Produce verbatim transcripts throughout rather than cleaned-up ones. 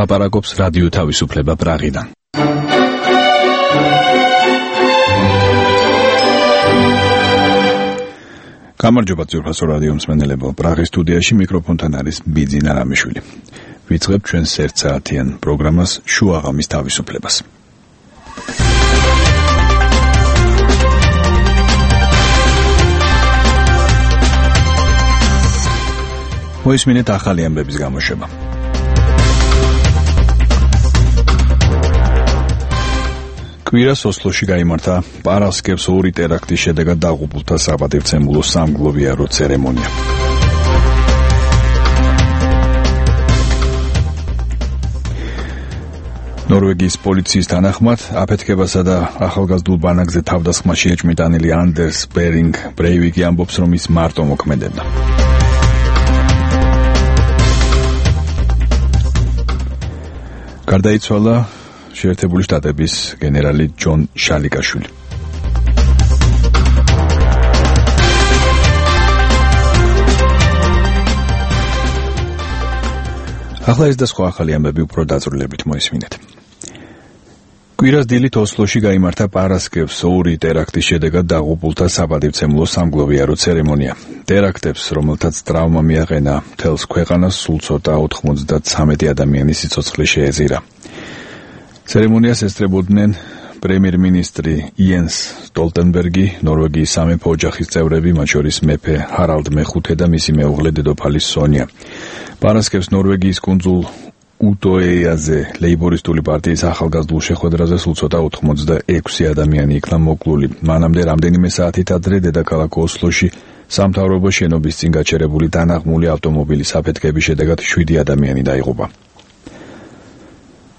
ლაპარაკობს რადიო თავისუფლება პრაღიდან. გამარჯობა ძვირფასო რადიო მსმენელებო, პრაღის სტუდიაში მიკროფონთან არის ბიძინა რამიშვილი. ვიწყებთ ჩვენს ერთსაათიან პროგრამას შუაღამის თავისუფლებას. მოისმინეთ ახალი ამბების გამოშვება. კვირას ოსლოში გაიმართა პარასკევს ორი ტერაქტის შედეგად დაღუპულთა საპატივცემულო სამგლოვიარო ცერემონია. ნორვეგიის პოლიციის თანახმად აფეთქებასა და ახალგაზრდულ ბანაკზე თავდასხმაში ეჭვმიტანილი ანდერს ბერინგ ბრეივიკი ამბობს, რომ ის მარტო მოქმედებდა. გარდაიცვალა შეერთებული შტატების გენერალი ჯონ შალიკაშვილი. ახლა ეს და სხვა ახალი ამბები უფრო დაწვრილებით მოისმინეთ. კვირას დილით ოსლოში გაიმართა პარასკევს ორი ტერაქტის შედეგად დაღუპულთა საპატივცემულო სამგლოვიარო ცერემონია. ტერაქტებს, რომელთაც ტრავმა მიაყენა მთელს ქვეყანას, სულ ცოტა ოთხმოცდათსამეტი ადამიანის სიცოცხლე შეეძირა. ცერემონიას ესწრებოდნენ პრემიერ-მინისტრი იენს სტოლტენბერგი, ნორვეგიის სამეფო ოჯახის წევრები, მათ შორის მეფე ჰარალდ მეხუთე და მისი მეუღლე დედოფალი სონია. პარასკევს ნორვეგიის კუნძულ უტოეაზე ლეიბორისტული პარტიის ახალგაზრდულ შეხვედრაზე სულ ცოტა ოთხმოცდაექვსი ადამიანი იქნა მოკლული. მანამდე რამდენიმე საათით ადრე დედაქალაქ ოსლოში სამთავრობო შენობის წინ გაჩერებული დანაღმული ავტომობილის აფეთქების შედეგად შვიდი ადამიანი დაიღუპა.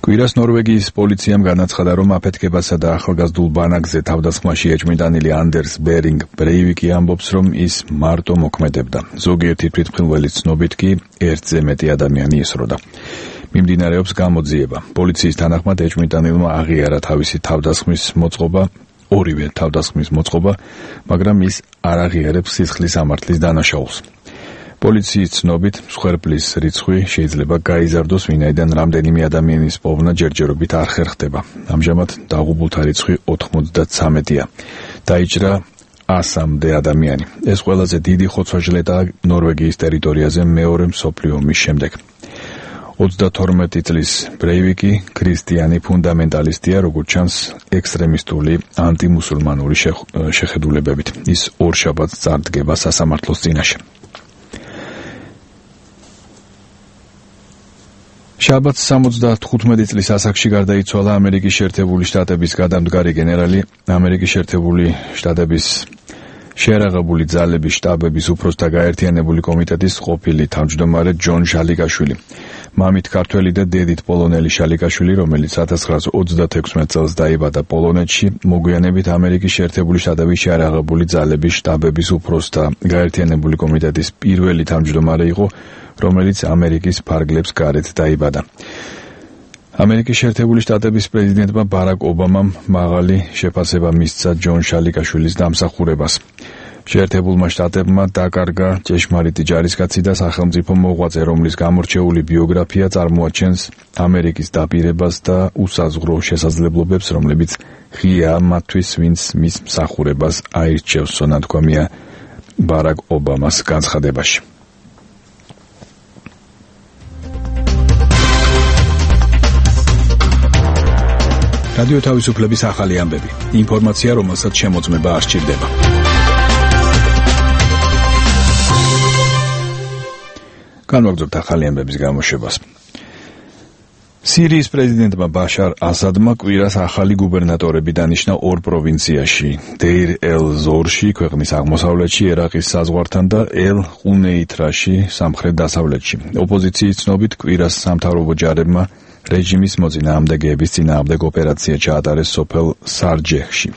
კვირას ნორვეგიის პოლიციამ განაცხადა, რომ აფეთქებასა და ახალგაზრდულ ბანაკზე თავდასხმაში ეჭვმიტანილი ანდერს ბერინგ ბრეივიკი ამბობს, რომ ის მარტო მოქმედებდა. ზოგიერთი თვითმხილველის ცნობით კი ერთზე მეტი ადამიანი ისროდა. მიმდინარეობს გამოძიება. პოლიციის თანახმად ეჭვმიტანილმა აღიარა თავისი თავდასხმის მოწყობა, ორივე თავდასხმის მოწყობა, მაგრამ ის არ აღიარებს სისხლის ამართლის დანაშაულს. პოლიციის ცნობით მსხვერპლის რიცხვი შეიძლება გაიზარდოს, ვინაიდან რამდენიმე ადამიანის პოვნა ჯერჯერობით არ ხერხდება. ამჟამად დაღუპულთა რიცხვი ოთხმოცდათსამეტია. დაიჭრა ასამდე ადამიანი. ეს ყველაზე დიდი ხოცვა-ჟლეტაა ნორვეგიის ტერიტორიაზე მეორე მსოფლიო ომის შემდეგ. ოცდათორმეტი წლის ბრეივიკი ქრისტიანი ფუნდამენტალისტია, როგორც ჩანს ექსტრემისტული ანტიმუსულმანური შეხედულებებით. ის ორშაბათს წარდგება სასამართლოს წინაშე. შაბათს სამოცდათხუთმეტი წლის ასაკში გარდაიცვალა ამერიკის შეერთებული შტატების გადამდგარი გენერალი, ამერიკის შეერთებული შტატების შეერაღებული ძალების შტაბების უფროსთა გაერთიანებული კომიტეტის ყოფილი თავმჯდომარე ჯონ შალიკაშვილი. მამით ქართველი და დედით პოლონელი შალიკაშვილი, რომელიც ათას ცხრაასა ოცდათექვსმეტ წელს დაიბადა პოლონეთში, მოგვიანებით ამერიკის შეერთებული შტატების შეერაღებული ძალების შტაბების უფროსთა გაერთიანებული კომიტეტის პირველი თავმჯდომარე იყო, რომელიც ამერიკის ფარგლებს გარეთ დაიბადა. ამერიკის შეერთებული შტატების პრეზიდენტმა ბარაკ ობამამ მაღალი შეფასება მისცა ჯონ შალიკაშვილის დამსახურებას. შეერთებულმა შტატებმა დაკარგა ჭეშმარიტი ჯარისკაცი და სახელმწიფო მოღვაწე, რომლის გამორჩეული ბიოგრაფია წარმოაჩენს ამერიკის დაპირებას და უსაზღვრო შესაძლებლობებს, რომლებიც ღიაა მათთვის, ვინც მის მსახურებას აირჩევს, სონათქვამია ბარაკ ობამას განცხადებაში. რადიო თავისუფლების ახალი ამბები. ინფორმაცია, რომელსაც შემოწმება არ სჭირდება. განვაგრძობთ ახალი ამბების გამოშვებას. სირიის პრეზიდენტმა ბაშარ ასადმა კვირას ახალი გუბერნატორები დანიშნა ორ პროვინციაში, დეირ ელ-ზორში, ქვეყნის აღმოსავლეთში, ერაყის საზღვართან და ელ-ყუნეითრაში, სამხრეთ დასავლეთში. ოპოზიციის ცნობით კვირას სამთავრობო ჯარებმა რეჟიმის მოწინააღმდეგეების წინააღმდეგ ოპერაცია ჩაატარეს სოფელ სარჯეჰში.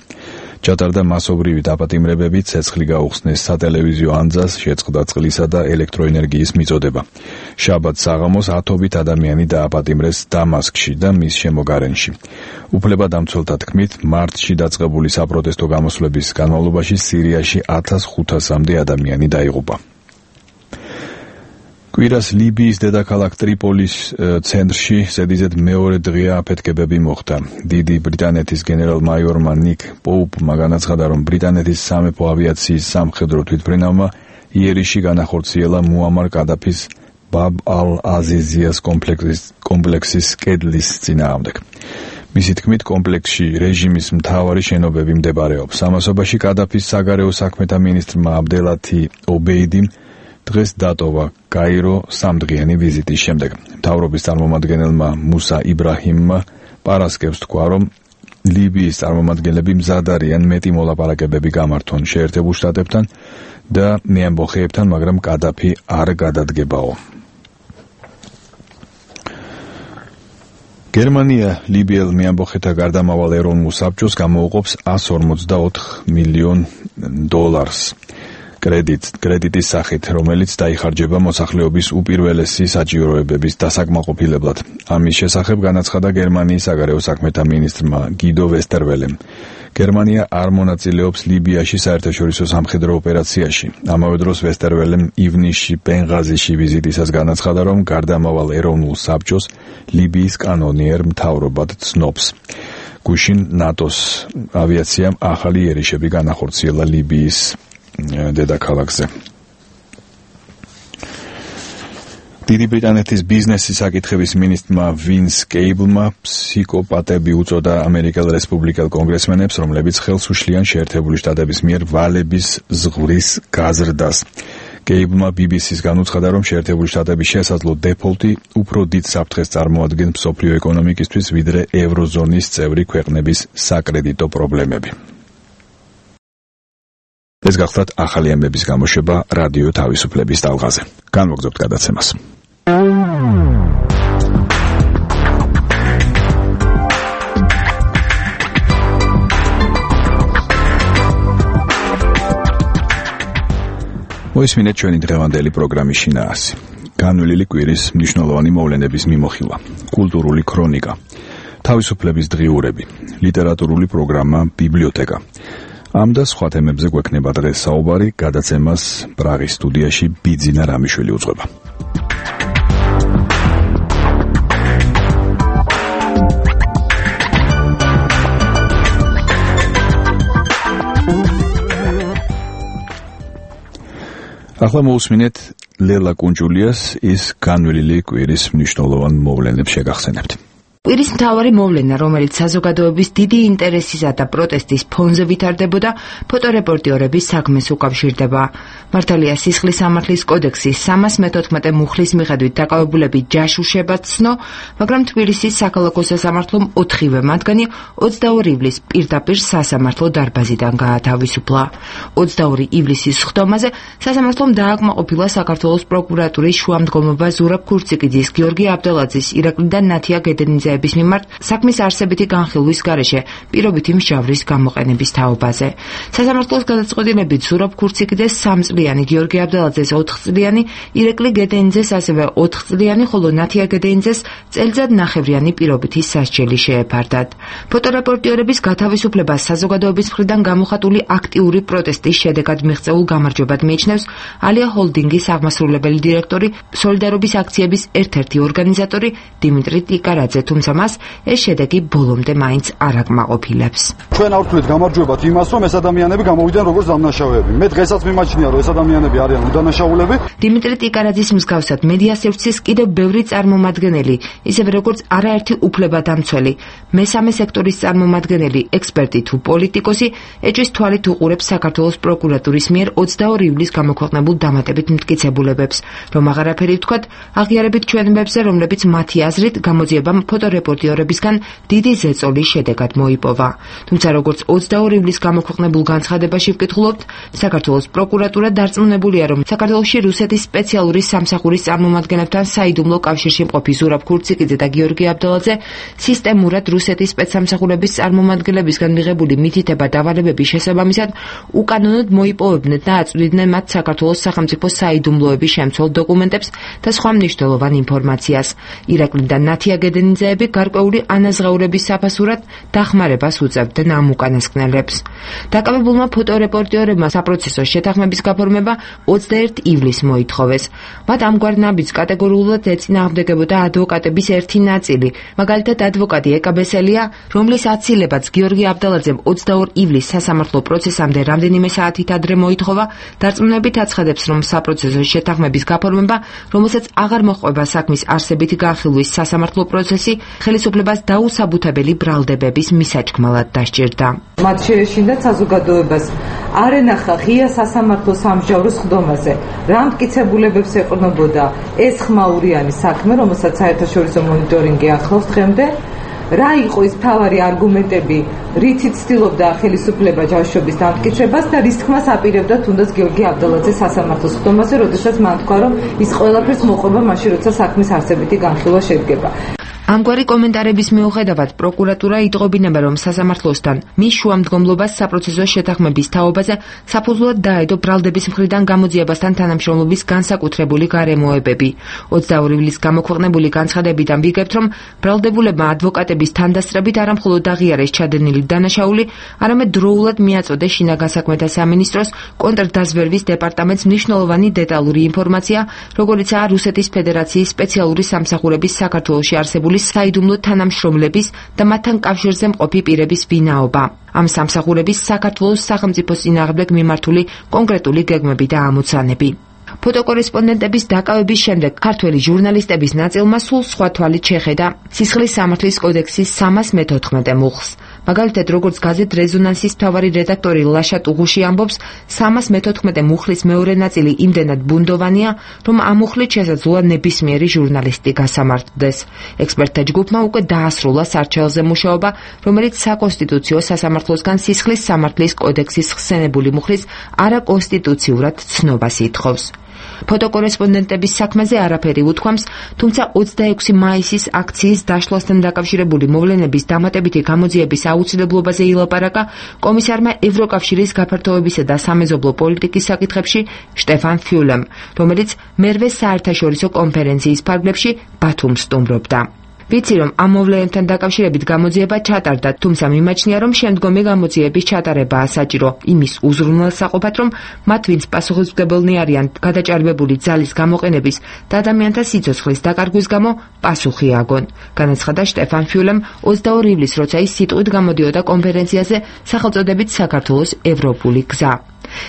ჩატარდა მასობრივი დაპატიმრებები, ცეცხლი გაუხსნეს სატელევიზიო ანძას, შეწყდა წყლისა და ელექტროენერგიის მიწოდება. შაბათს საღამოს ათობით ადამიანი დააპატიმრეს დამასკში და მის შემოგარენში. უფლებადამცველთა თქმით, მარტში დაწყებული საპროტესტო გამოსვლების განმავლობაში სირიაში ათას ხუთასამდე ადამიანი დაიღუპა. კვირას ლიბიის დედაქალაქ ტრიპოლის ცენტრში ზედიზედ მეორე დღეა აფეთქებები მოხდა. დიდი ბრიტანეთის გენერალ-მაიორმა ნიკ პოუპმა განაცხადა, რომ ბრიტანეთის სამეფო ავიაციის სამხედრო თვითმფრინავმა იერიში განახორციელა მუამარ კადაფის ბაბ ალ-აზიზიას კომპლექსის კომპლექსის კედლის წინააღმდეგ. მისი თქმით, კომპლექსში რეჟიმის მთავარი შენობები მდებარეობს. ამასობაში კადაფის საგარეო საქმეთა მინისტრმა აბდელათი ობეიდიმ დღეს დატოვა კაირო სამდღიანი ვიზიტის შემდეგ. მთავრობის წარმომადგენელმა მუსა იბრაჰიმმა პარასკევს თქვა, რომ ლიბიის წარმომადგენლები მზად არიან მეტი მოლაპარაკებები გამართონ შეერთებულ შტატებთან და მეამბოხეებთან, მაგრამ კადაფი არ გადადგებაო. გერმანია ლიბიელ მეამბოხეთა გარდამავალ ეროვნულ საბჭოს გამოუყოფს εκατს ორმოცდაოთხ მილიონ დოლარს. კრედიტ, კრედიტის სახით, რომელიც დაიხარჯება მოსახლეობის უპირველესი საჭიროებების დასაკმაყოფილებლად. ამის შესახებ განაცხადა გერმანიის საგარეო საქმეთა მინისტრმა გიდო ვესტერველემ. გერმანია არ მონაწილეობს ლიბიაში საერთაშორისო სამხედრო ოპერაციაში. ამავე დროს ვესტერველემ ივნისში ბენღაზიში ვიზიტისას განაცხადა, რომ გარდამავალ ეროვნულ საბჭოს ლიბიის კანონიერ მთავრობად ცნობს. გუშინ ნატოს ავიაციამ ახალი იერიშები განახორციელა ლიბიის დედაქალაქზე. დიდი ბრიტანეთის ბიზნესის საკითხების მინისტრმა ვინს კეიბლმა ფსიქოპატები უწოდა ამერიკელ რესპუბლიკელ კონგრესმენებს, რომლებიც ხელს უშლიან შეერთებული შტატების მიერ ვალების ზღვრის გაზრდას. კეიბლმა ბი ბი სის განუცხადა, რომ შეერთებული შტატების შესაძლო დეფოლტი უფრო დიდ საფრთხეს წარმოადგენს მსოფლიო ეკონომიკისთვის, ვიდრე ევროზონის წევრი ქვეყნების საკრედიტო პრობლემები. ეს გახლდათ ახალი ამბების გამოშვება რადიო თავისუფლების ტალღაზე. განვაგრძობთ გადაცემას. მოისმინეთ ჩვენი დღევანდელი პროგრამის შინაარსი. განვლილი კვირის მნიშვნელოვანი მოვლენების მიმოხილვა, კულტურული ქრონიკა, თავისუფლების დღიურები, ლიტერატურული პროგრამა ბიბლიოთეკა. ამ და სხვა თემებზე გვექნება დღეს საუბარი, გადაცემას პრაღის სტუდიაში ბიძინა რამიშვილი უძღვება. ახლა მოусმინეთ ლელა კუნჯულიას ის განვლილი კვირის მნიშვნელოვან მოვლენებს შეგახსენებთ. კვირის მთავარი მოვლენა, რომელიც საზოგადოების დიდი ინტერესისა და პროტესტის ფონზე ვითარდებოდა, ფოტორეპორტიორების საქმეს უკავშირდება. მართალია სისხლის სამართლის კოდექსის სამას მეთოთხმეტე მუხლის მიხედვით დაკავებულები ჯაშუშებად ცნო, მაგრამ თბილისის საქალაქო სასამართლომ ოთხივე მათგანი ოცდაორი ივლისს პირდაპირ სასამართლო დარბაზიდან გაათავისუფლა. ოცდაორი ივლისის ხდომაზე სასამართლომ დააკმაყოფილა საქართველოს პროკურატურის შუამდგომობა ზურაბ ქურციკიძის, გიორგი აბდელაძის, ირაკლი და ნათია გედენიძე მიმართ საქმის არსებითი განხილვის გარეშე პირობითი მსჯავრის გამოყენების თაობაზე. სასამართლოს გადაწყვეტილებით ზურაბ ქურციკიძეს სამწლიანი, გიორგი აბდელაძეს ოთხწლიანი, ირაკლი გედენიძეს ასევე ოთხწლიანი, ხოლო ნათია გედენიძეს წელიწად ნახევრიანი პირობითი სასჯელი შეეფარდათ. ფოტორეპორტიორების გათავისუფლებას საზოგადოების მხრიდან გამოხატული აქტიური პროტესტის შედეგად მიღწეულ გამარჯვებად მიიჩნევს ალია ჰოლდინგის აღმასრულებელი დირექტორი, სოლიდარობის აქციების ერთ-ერთი ორგანიზატორი დიმიტრი ტიკარაძე, თუმცა მას ეს შედეგი ბოლომდე მაინც არ აკმაყოფილებს. ჩვენ არ ვთვლით გამარჯვებად იმას, რომ ეს ადამიანები გამოვიდნენ როგორც დამნაშავეები. მე დღესაც მიმაჩნია, რომ ეს ადამიანები არიან უდანაშაულები. დიმიტრი ტიკარაძის მსგავსად მედია სივრცის კიდევ ბევრი წარმომადგენელი, ისევე როგორც არაერთი უფლებადამცველი, მესამე სექტორის წარმომადგენელი, ექსპერტი თუ პოლიტიკოსი ეჭვის თვალით უყურებს საქართველოს პროკურატურის მიერ ოცდაორი ივლისს გამოქვეყნებულ დამატებით მტკიცებულებებს, რომ აღარაფერი ვთქვათ, აღიარებით ჩვენებებზე, რომლებიც მათი აზრით გამოძიებამ ფოტორეპორტიორებისგან დიდი ზეწოლის შედეგად მოიპოვა. თუმცა როგორც ოცდაორი ივლისს გამოქვეყნებულ განცხადებაში ვკითხულობთ, საქართველოს პროკურატურა დარწმუნებულია, რომ საქართველოში რუსეთის სპეციალური სამსახურის წარმომადგენლებთან საიდუმლო კავშირში მყოფი ზურაბ ქურციკიძე და გიორგი აბდელაძე სისტემურად რუსეთის სპეცსამსახურების წარმომადგენლებისგან მიღებული მითითება დავალებების შესაბამისად უკანონოდ მოიპოვებდნენ და აწვდიდნენ მათ საქართველოს სახელმწიფო საიდუმლოების შემცველ დოკუმენტებს და სხვა მნიშვნელოვან ინფორმაციას. ირაკლი და ნათია გედენიძე მოქალაქეები გარკვეული ანაზღაურების საფასურად დახმარებას უწევდნენ ამ უკანასკნელებს. დაკავებულმა ფოტორეპორტიორებმა საპროცესო შეთანხმების გაფორმება ოცდაერთი ივლისს მოითხოვეს. მათ ამგვარ ნაბიჯს კატეგორიულად ეწინააღმდეგებოდა ადვოკატების ერთი ნაწილი, მაგალითად ადვოკატი ეკა ბესელია, რომლის აცილებაც გიორგი აბდალაძემ ოცდაორი ივლისს სასამართლო პროცესამდე რამდენიმე საათით ადრე მოითხოვა, დარწმუნებით აცხადებს, რომ საპროცესო შეთანხმების გაფორმება, რომელსაც აღარ მოჰყვება საქმის არსებითი განხილვის სასამართლო პროცესი, ხელისუფლებას დაუსაბუთებელი ბრალდებების მისაჭკმელად დასჭირდა. მათ შეეშინდათ საზოგადოებას არ ენახა ღია სასამართლო სამსჯავრო სხდომაზე, რა მტკიცებულებებს ეყრდნობოდა ეს ხმაურიანი საქმე, რომელსაც საერთაშორისო მონიტორინგი ახლავს დღემდე, რა იყო ის მთავარი არგუმენტები, რითიც ცდილობდა ხელისუფლება ჯაშობის დამტკიცებას და რის თქმას აპირებდა თუნდაც გიორგი აბდალაძეს სასამართლო სხდომაზე, როდესაც მან თქვა, რომ ის ყველაფერს მოყვება მაშინ, როცა საქმის არსებითი განხილვა შედგება. ამგვარი კომენტარების მიუხედავად პროკურატურა იტყობინება, რომ სასამართლოსთან მის შუამდგომლობას საპროცესო შეთანხმების თაობაზე საფუძვლად დაედო ბრალდების მხრიდან გამოძიებასთან თანამშრომლობის განსაკუთრებული გარემოებები. ოცდაორი ივლისს გამოქვეყნებული განცხადებიდან ვიგებთ, რომ ბრალდებულებმა ადვოკატების თანდასწრებით არამხოლოდ აღიარეს ჩადენილი დანაშაული, არამედ დროულად მიაწოდეს შინაგან საქმეთა სამინისტროს კონტრდაზვერვის დეპარტამენტს მნიშვნელოვანი დეტალური ინფორმაცია, როგორიცაა რუსეთის ფედერაციის სპეციალური სამსახურების საქართველოში არსებული საიდუმლო თანამშრომლების და მათთან კავშირზე მყოფი პირების ვინაობა. ამ სამსახურების საქართველოს სახელმწიფოს წინააღმდეგ მიმართული კონკრეტული გეგმები და ამოცანები. ფოტოკორესპონდენტების დაკავების შემდეგ ქართველი ჟურნალისტების ნაწილმა სულ სხვა თვალით შეხედა სისხლის სამართლის კოდექსის სამას მეთოთხმეტე მუხლს. მაგალითად, როგორც გაზეთ რეზონანსის მთავარი რედაქტორი ლაშა ტუღუში ამბობს, სამას მეთოთხმეტე მუხლის მეორე ნაწილი იმდენად ბუნდოვანია, რომ ამ მუხლით შესაძლოა ნებისმიერი ჟურნალისტი გასამართლდეს. ექსპერტთა ჯგუფმა უკვე დაასრულა სარჩელზე მუშაობა, რომელიც საკონსტიტუციო სასამართლოსგან სისხლის სამართლის კოდექსის ხსენებული მუხლის არაკონსტიტუციურად ცნობას ითხოვს. ფოტოკორესპონდენტების საქმეზე არაფერი უთქვამს, თუმცა ოცდაექვსი მაისის აქციის დაშლასთან დაკავშირებული მოვლენების დამატებითი გამოძიების აუცილებლობაზე ილაპარაკა კომისარმა ევროკავშირის გაფართოებისა და სამეზობლო პოლიტიკის საკითხებში შტეფან ფიულემ, რომელიც მერვე საერთაშორისო კონფერენციის ფარგლებში ბათუმს სტუმრობდა. ვიცი, რომ ამ მოვლენებთან დაკავშირებით გამოძიება ჩატარდა, თუმცა მიმაჩნია, რომ შემდგომი გამოძიების ჩატარებაა საჭირო იმის უზრუნველსაყოფად, რომ მათ, ვინც პასუხისმგებელნი არიან გადაჭარბებული ძალის გამოყენების და ადამიანთა სიცოცხლის დაკარგვის გამო, პასუხი აგონ. განაცხადა შტეფან ფიულემ ოცდაორი ივლისს, როცა ის სიტყვით გამოდიოდა კონფერენციაზე სახელწოდებით საქართველოს ევროპული გზა.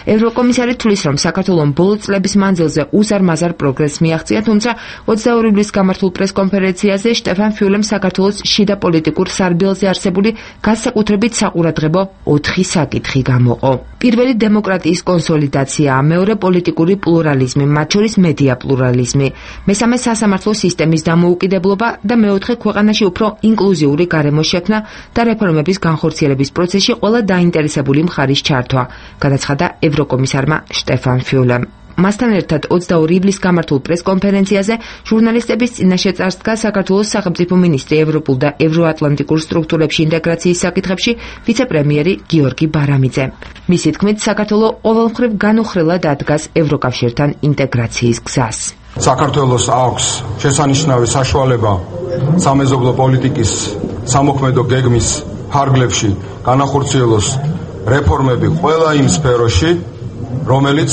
ევროკომისარი თვლის, რომ საქართველომ ბოლო წლების მანძილზე უზარმაზარ პროგრესს მიაღწია, თუმცა ოცდაორი ივლისს გამართულ პრესკონფერენციაზე შტეფან ფიულემ საქართველოს შიდა პოლიტიკურ სარბიელზე არსებული განსაკუთრებით საყურადღებო ოთხი საკითხი გამოყო. პირველი დემოკრატიის კონსოლიდაცია, მეორე პოლიტიკური პლურალიზმი, მათ შორის მედია პლურალიზმი, მესამე სასამართლო სისტემის დამოუკიდებლობა და მეოთხე ქვეყანაში უფრო ინკლუზიური გარემო შექმნა და რეფორმების განხორციელების პროცესში ყველა დაინტერესებული მხარის ჩართვა, განაცხადა ევროკომისარმა შტეფან ფიულემ. მასთან ერთად ოცდაორი ივლისს გამართულ პრესკონფერენციაზე ჟურნალისტების წინაშე წარსდგა საქართველოს სახელმწიფო მინისტრი ევროპულ და ევროატლანტიკურ სტრუქტურებში ინტეგრაციის საკითხებში ვიცე-პრემიერი გიორგი ბარამიძე. მისი თქმით, საქართველო ყოველმხრივ განუხრელად ადგას ევროკავშირთან ინტეგრაციის გზას. საქართველოს აქვს შესანიშნავი საშუალება სამეზობლო პოლიტიკის სამოქმედო გეგმის ფარგლებში განახორციელოს რეფორმები ყველა იმ სფეროში, რომელიც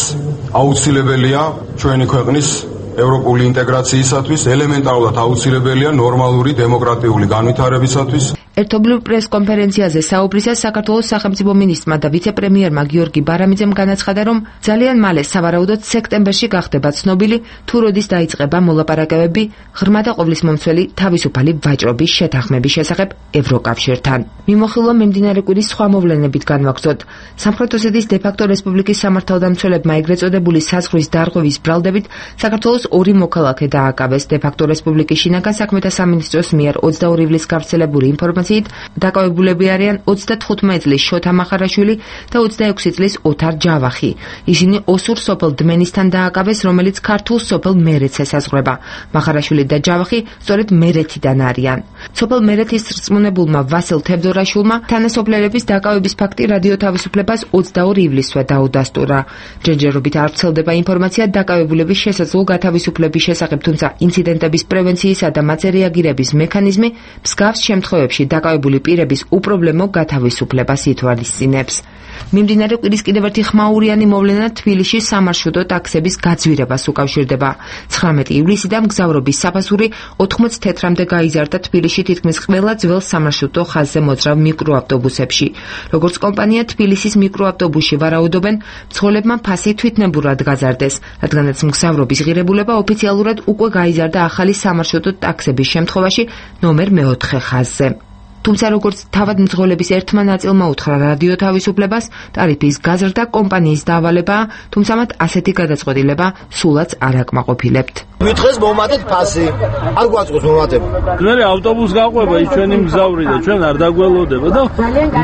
აუცილებელია ჩვენი ქვეყნის ევროპული ინტეგრაციისათვის, ელემენტარულად აუცილებელია ნორმალური დემოკრატიული განვითარებისათვის. ერთობლივ პრესკონფერენციაზე საუბრისას საქართველოს სახელმწიფო მინისტრმა და ვიცე-პრემიერმა გიორგი ბარამიძემ განაცხადა, რომ ძალიან მალე, სავარაუდოდ სექტემბერში გახდება ცნობილი, თუ როდის დაიწყება მოლაპარაკებები ღრმა და ყოვლისმომცველი თავისუფალი ვაჭრობის შეთანხმების შესახებ ევროკავშირთან. მიმოხილვა მიმდინარე კვირის სხვა მოვლენებით განვაგრძოთ. სამხრეთ ოსეთის დე-ფაქტო რესპუბლიკის სამართალდამცველებმა ეგრეთ წოდებული საზღვრის დარღვევის ბრალდებით საქართველოს ორი მოქალაქე დააკავეს. დე-ფაქტო რესპუბლიკის შინაგან საქმეთა სამინისტროს მიერ ოცდაორი ივლისს გავრცელებული ინფორმაცია ინფორმაციით, დაკავებულები არიან ოცდათხუთმეტ წლის შოთა მახარაშვილი და ოცდაექვსი წლის ოთარ ჯავახი. ისინი ოსურ სოფელ დმენისთან დააკავეს, რომელიც ქართულ სოფელ მერეთს ესაზღვრება. მახარაშვილი და ჯავახი სწორედ მერეთიდან არიან. სოფელ მერეთის რწმუნებულმა ვასილ თევდორაშვილმა თანასოფლელების დაკავების ფაქტი რადიო თავისუფლებას ოცდაორი ივლისსვე დაუდასტურა. ჯერჯერობით არ ვრცელდება ინფორმაცია დაკავებულების შესაძლო გათავისუფლების შესახებ, თუმცა ინციდენტების პრევენციისა და მათზე რეაგირების მექანიზმი მსგავს შემთხვევებში დაკავებული პირების უპრობლემო გათავისუფლებას ითვალისწინებს. მიმდინარე კვირის კიდევ ერთი ხმაურიანი მოვლენა თბილისში სამარშრუტო ტაქსების გაძვირებას უკავშირდება. ცხრამეტი ივლისიდან მგზავრობის საფასური ოთხმოცდათეთრამდე გაიზარდა თბილისში თითქმის ყველა ძველ სამარშრუტო ხაზზე მოძრავ მიკროავტობუსებში. როგორც კომპანია თბილისის მიკროავტობუსში ვარაუდობენ, მცხოვრებმა ფასი თვითნებურად გაზარდეს, რადგანაც მგზავრობის ღირებულება ოფიციალურად უკვე გაიზარდა ახალი სამარშრუტო ტაქსების შემთხვევაში ნომერ მეოთხე ხაზზე. თუმცა როგორც თავად მძღოლების ერთმა ნაწილმა უთხრა რადიო თავისუფლებას, ტარიფის გაზრდა კომპანიის დავალებაა, თუმცა მათ ასეთი გადაწყვეტილება სულაც არ აკმაყოფილებთ. მითხეს მომატეთ ფასი, არ გვაწყობს მომატებ. მე ავტობუს გაყვება ის ჩვენი მგზავრი და ჩვენ არ დაგველოდება და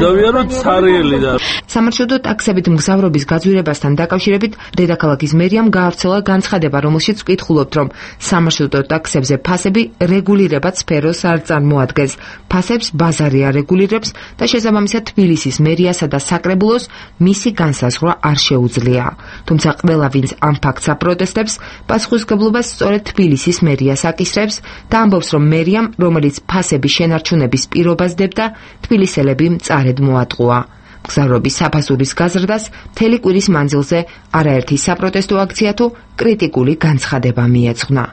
დავიაროთ ცარიელი და სამარშრუტო ტაქსებით მგზავრობის გაძვირებასთან დაკავშირებით დედაქალაქის მერიამ გაავრცელა განცხადება, რომელშიც ვკითხულობთ, რომ სამარშრუტო ტაქსებზე ფასები რეგულირებად სფეროს არ წარმოადგენს. ფასებს ბაზარი არეგულირებს და შესაბამისად თბილისის მერიასა და საკრებულოს მისი განსაზღვრა არ შეუძლია. თუმცა ყველა ვინც ამ ფაქტს აპროტესტებს, პასუხისმგებლობას სწორედ თბილისის მერიას აკისრებს და ამბობს, რომ მერიამ, რომელიც ფასების შენარჩუნების პირობას დებდა, თბილისელები მწარედ მოატყუა. მგზავრობის საფასურის გაზრდას მთელი კვირის მანძილზე არაერთი საპროტესტო აქცია თუ კრიტიკული განცხადება მიეძღვნა.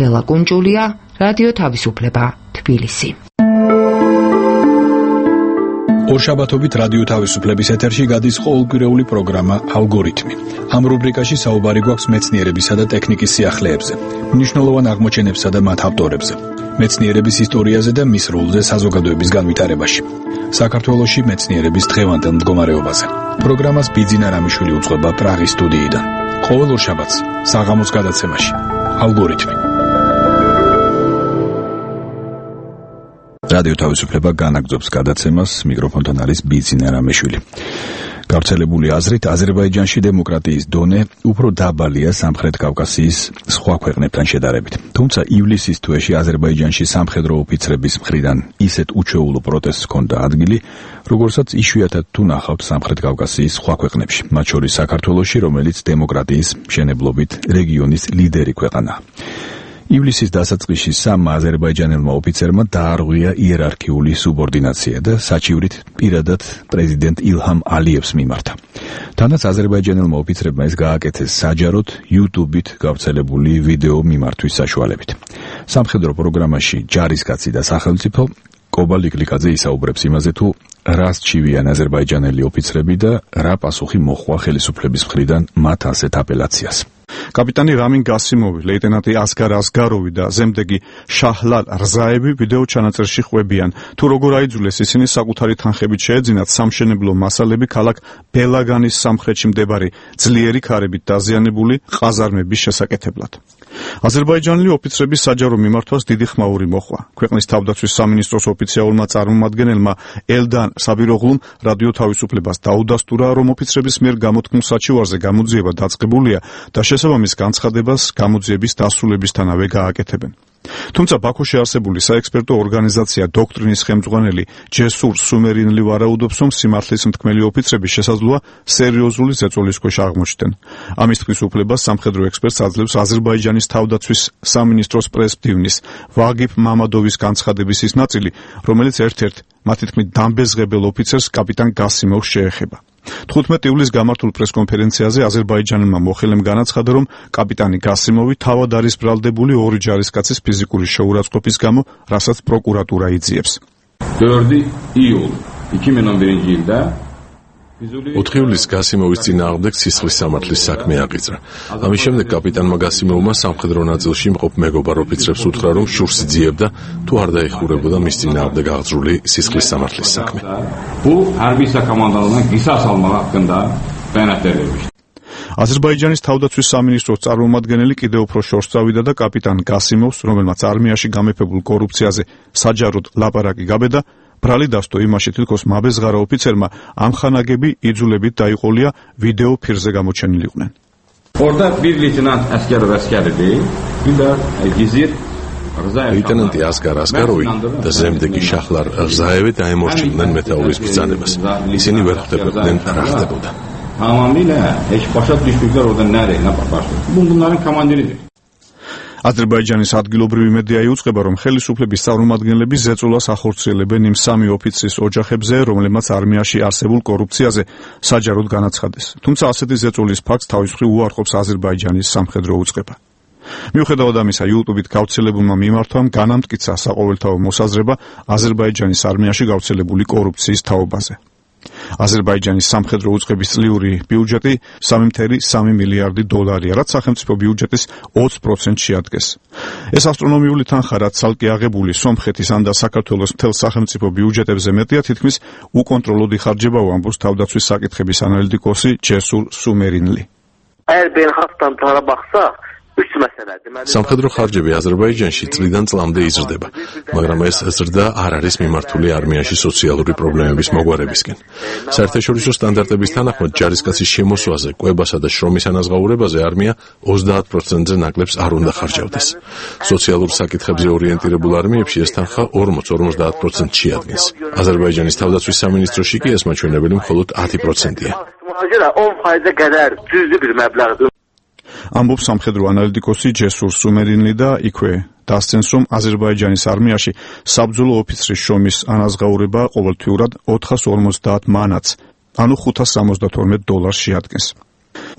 ლელა კუნჭულია, რადიო თავისუფლება, თბილისი. ორშაბათობით რადიო თავისუფლების ეთერში გადის ყოველკვირეული პროგრამა ალგორითმი. ამ რუბრიკაში საუბარი გვაქვს მეცნიერებისა და ტექნიკის სიახლეებზე, მნიშვნელოვან აღმოჩენებსა და მათ ავტორებზე, მეცნიერების ისტორიაზე და მის როლზე საზოგადოების განვითარებაში. საქართველოში მეცნიერების დღევანდელ მდგომარეობაზე. პროგრამას ბიძინა რამიშვილი უძღვება პრაღის სტუდიიდან. ყოველ ორშაბათს საღამოს გადაცემაში ალგორითმი. რადიო თავისუფლება განაგრძობს გადაცემას, მიკროფონთან არის ბიძინა რამიშვილი. გავრცელებული აზრით, აზერბაიჯანში დემოკრატიის დონე უფრო დაბალია სამხრეთ კავკასიის სხვა ქვეყნებთან შედარებით. თუმცა ივლისის თვეში აზერბაიჯანში სამხედრო ოფიცრების მხრიდან ისეთ უჩვეულო პროტესტს ჰქონდა ადგილი, როგორსაც იშვიათად თუ ნახავთ სამხრეთ კავკასიის სხვა ქვეყნებში, მათ შორის საქართველოში, რომელიც დემოკრატიის მშენებლობით რეგიონის ლიდერი ქვეყანაა. ივლისის დასაწყისში სამმა აზერბაიჯანელმა ოფიცერმა დაარღვია იერარქიული სუბორდინაცია და საჩივრით პირადად პრეზიდენტ ილჰამ ალიევს მიმართა. თანაც აზერბაიჯანელმა ოფიცრებმა ეს გააკეთეს საჯაროდ YouTube-ით გავრცელებული ვიდეო მიმართვის საშუალებით. სამხედრო პროგრამაში ჯარისკაცი და სახელმწიფო კობალ იკლიკაძე ისაუბრებს იმაზე, თუ რას ჩივიან აზერბაიჯანელი ოფიცრები და რა პასუხი მოჰყვა ხელისუფლების მხრიდან მათ ასეთ აპელაციას. კაპიტანი რამინ გასიმოვი, ლეიტენანტი ასგარ ასგაროვი და ზემდეგი შაჰლალ რზაევი ვიდეო ჩანაწერში ხვებიან, თუ როგორ აიძულეს ისინი საკუთარი თანხებით შეეძინათ სამშენებლო მასალები ქალაქ ბელაგანის სამხრეთში მდებარე ძლიერი ქარებით დაზიანებული ყაზარმების შესაკეთებლად. აზერბაიჯანელი ოფიცრების საჯარო მიმართვას დიდი ხმაური მოჰყვა. ქვეყნის თავდაცვის სამინისტროს ოფიციალურმა წარმომადგენელმა ელდან საბიროღლუმ რადიო თავისუფლებას დაუდასტურა, რომ ოფიცრების მიერ გამოთქმულ საჩივარზე გამოძიება დაწყებულია და შესაბამის განცხადებას გამოძიების დასრულებისთანავე გააკეთებენ. თუმცა ბაქოში არსებული საექსპერტო ორგანიზაცია დოქტრინის ხელმძღვანელი ჯესურ სუმერინელი ვარაუდობს, რომ სიმართლის მთქმელი ოფიცრები შესაძლოა სერიოზული ზეწოლის ქვეშ აღმოჩნდნენ. ამის თვის უფლებას სამხედრო ექსპერტს აძლევს აზერბაიჯანის თავდაცვის სამინისტროს პრესმდივნის ვაგიფ მამადოვის განცხადების ის ნაწილი, რომელიც ერთ-ერთ მათი თქმით დამბეზღებელ ოფიცერს კაპიტან გასიმოვს შეეხება. თხუთმეტი ივლისს გამართულ პრესკონფერენციაზე აზერბაიჯანელმა მოხელემ განაცხადა, რომ კაპიტანი გასიმოვი თავად არის ბრალდებული ორი ჯარისკაცის ფიზიკური შეურაცხყოფის გამო, რასაც პროკურატურა იძიებს. dördü iyul iki bin on birinci yılda ოთხი ივლისს გასიმოვის წინააღმდეგ სისხლის სამართლის საქმე აღიძრა. ამის შემდეგ კაპიტანმა გასიმოვმა სამხედრო ნაწილში მყოფ მეგობარ ოფიცრებს უთხრა, რომ შურს იძიებდა თუ არ დაეხურებოდა მის წინააღმდეგ აღძრული სისხლის სამართლის საქმე. bu hərbi komandanlığına qisas almaq haqqında bəyanat vermişdi. აზერბაიჯანის თავდაცვის სამინისტროს წარმომადგენელი კიდევ უფრო შორს წავიდა და კაპიტან გასიმოვს, რომელმაც არმიაში გამეფებულ კორუფციაზე საჯაროდ ლაპარაკი გაბედა, ბრალი დასტო იმაში თითქოს მაბეზღარა ოფიცერმა ამხანაგები იძულებით დაიყოლია ვიდეო ფირზე გამოჩენილიყვნენ. Orada bir leytenant əskər və əskəridir. Bir də Gizir ლეიტენანტი ასგარ ასგაროვი და ზემდეგი შაჰლარ რზაევი დაემორჩილდნენ მეთაურის ბრძანებას. ისინი ვერ ხვდებოდნენ რა ხდებოდა. Tamamilə heç başa düşmüklər orada nə რენა başladı. Bunların komandiridir. აზერბაიჯანის ადგილობრივი მედია იუწყება, რომ ხელისუფლების წარმომადგენლები ზეწოლას ახორციელებენ იმ სამი ოფიცრის ოჯახებზე, რომლებმაც არმიაში არსებულ კორუფციაზე საჯაროდ განაცხადეს. თუმცა ასეთი ზეწოლის ფაქტს თავის მხრივ უარყოფს აზერბაიჯანის სამხედრო უწყება. მიუხედავად ამისა, YouTube-ით გავრცელებულმა მიმართვამ განამტკიცა საყოველთაო მოსაზრება აზერბაიჯანის არმიაში გავრცელებული კორუფციის თაობაზე. აზერბაიჯანის სამხედრო უწყების წლიური ბიუჯეტი სამი წუთი სამი მილიარდი დოლარია, რაც სახელმწიფო ბიუჯეტის ოცი პროცენტს შეადგენს. ეს ასტრონომიული თანხა, რაც ცალკე აღებული სომხეთის ან და საქართველოს მთელ სახელმწიფო ბიუჯეტებზე მეტია, თითქმის უკონტროლოდ იხარჯებაო, ამბობს თავდაცვის საკითხების ანალიტიკოსი ჯესურ სუმერინლი. Əgər beynəlxalq standartlara baxsaq, üç məsələdir. სამხედრო ხარჯები აზერბაიჯანში წლიდან წლამდე იზრდება, მაგრამ ეს ზრდა არ არის მიმართული არმიაში სოციალური პრობლემების მოგვარებისკენ. საერთაშორისო სტანდარტების თანახმად ჯარისკაცის შემოსვლაზე, კვებასა და შრომის ანაზღაურებაზე არმია ოცდაათ პროცენტზე ნაკლებს არ უნდა ხარჯავდეს. სოციალურ საკითხებზე ორიენტირებულ არმიებში ეს თანხა ორმოც ორმოცდაათ პროცენტს შეადგენს. აზერბაიჯანის თავდაცვის სამინისტროში კი ეს მაჩვენებელი მხოლოდ ათი პროცენტია. on faizə qədər cüzi bir məbləğdir. ამბობს სამხედრო ანალიტიკოსი ჯესურ სუმერინლი და იქვე დასცენს, რომ აზერბაიჯანის არმიაში საბრძოლო ოფიცრის შრომის ანაზღაურება ყოველთვიურად ოთხას ორმოცდაათ მანატს, ანუ ხუთას სამოცდათორმეტ დოლარს შეადგენს.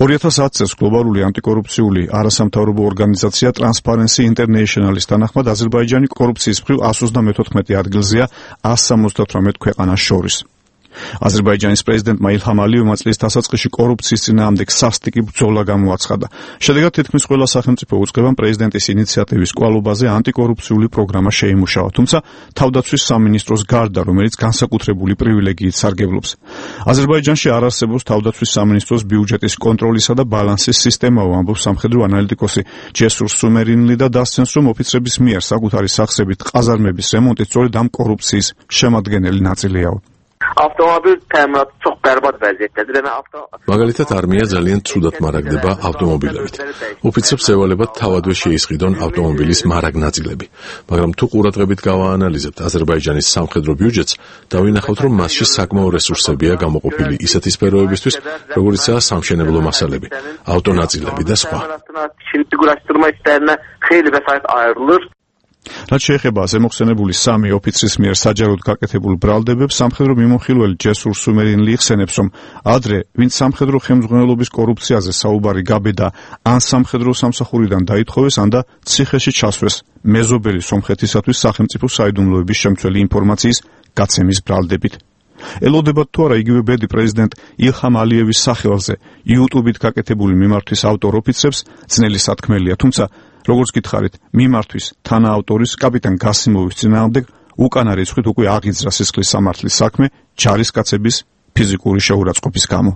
ორი ათას ათი წელს გლობალური ანტიკორუფციული არასამთავრობო ორგანიზაცია Transparency International-ის თანახმად აზერბაიჯანი კორუფციის მხრივ εκατს ოცდამეთოთხმეტე ადგილზეა εκατს სამოცდათვრამეტ ქვეყანას შორის. აზერბაიჯანის პრეზიდენტმა ილჰამ ალიევმა წლის დასაწყისში კორუფციის წინააღმდეგ სასტიკი ბრძოლა გამოაცხადა. შედეგად თითქმის ყველა სახელმწიფო უწყებამ პრეზიდენტის ინიციატივის კვალობაზე ანტიკორუფციული პროგრამა შეიმუშავა, თუმცა თავდაცვის სამინისტროს გარდა, რომელიც განსაკუთრებული პრივილეგიით სარგებლობს. აზერბაიჯანში არ არსებობს თავდაცვის სამინისტროს ბიუჯეტის კონტროლისა და ბალანსის სისტემაო, ამბობს სამხედრო ანალიტიკოსი ჯესურ სუმერინლი და დასცენს, რომ ოფიცრების მიერ საკუთარი სახსებით ყაზარმების რემონტი სწორედ ამ კორუფციის შემადგენელი ნაწილიაო. Avtomobil təminatı çox bərbad vəziyyətdədir. Yəni avto მაგალითად არმია ძალიან ცუდად მარაგდება ავტომობილებით. ოფიცრებს ევალებათ თავადვე შეისყიდონ ავტომობილის მარაგ ნაწილები, მაგრამ თუ ყურადღებით გავაანალიზებთ აზერბაიჯანის სამხედრო ბიუჯეტს, დავინახავთ, რომ მასში საკმაო რესურსებია გამოყოფილი ისეთი სფეროებისთვის, როგორიცაა სამშენებლო მასალები, ავტონაწილები და სხვა. Figurlaşdırma işlərinə xeyli vəsait ayrılır. რაც შეეხება ზემოხსენებული სამი ოფიცრის მიერ საჯაროდ გაკეთებულ ბრალდებებს, სამხედრო მიმოხილველი ჯესურ სუმერინლი იხსენებს, რომ ადრე, ვინც სამხედრო ხელმძღვანელობის კორუფციაზე საუბარი გაბედა, ან სამხედრო სამსახურიდან დაითხოვეს, ან და ციხეში ჩასვეს მეზობელი სომხეთისათვის სახელმწიფო საიდუმლოების შემცველი ინფორმაციის გაცემის ბრალდებით. ელოდებათ თუ არა იგივე ბედი პრეზიდენტ ილჰამ ალიევის სახელზე YouTube-ით გაკეთებული მიმართვის ავტორ ოფიცრებს ძნელი სათქმელია, თუმცა როგორც გითხარით, მიმართვის თანაავტორის კაპიტან გასიმოვის წინააღმდეგ უკანა რიცხვით უკვე აღიძრა სისხლის სამართლის საქმე ჯარისკაცების ფიზიკური შეურაცხყოფის გამო.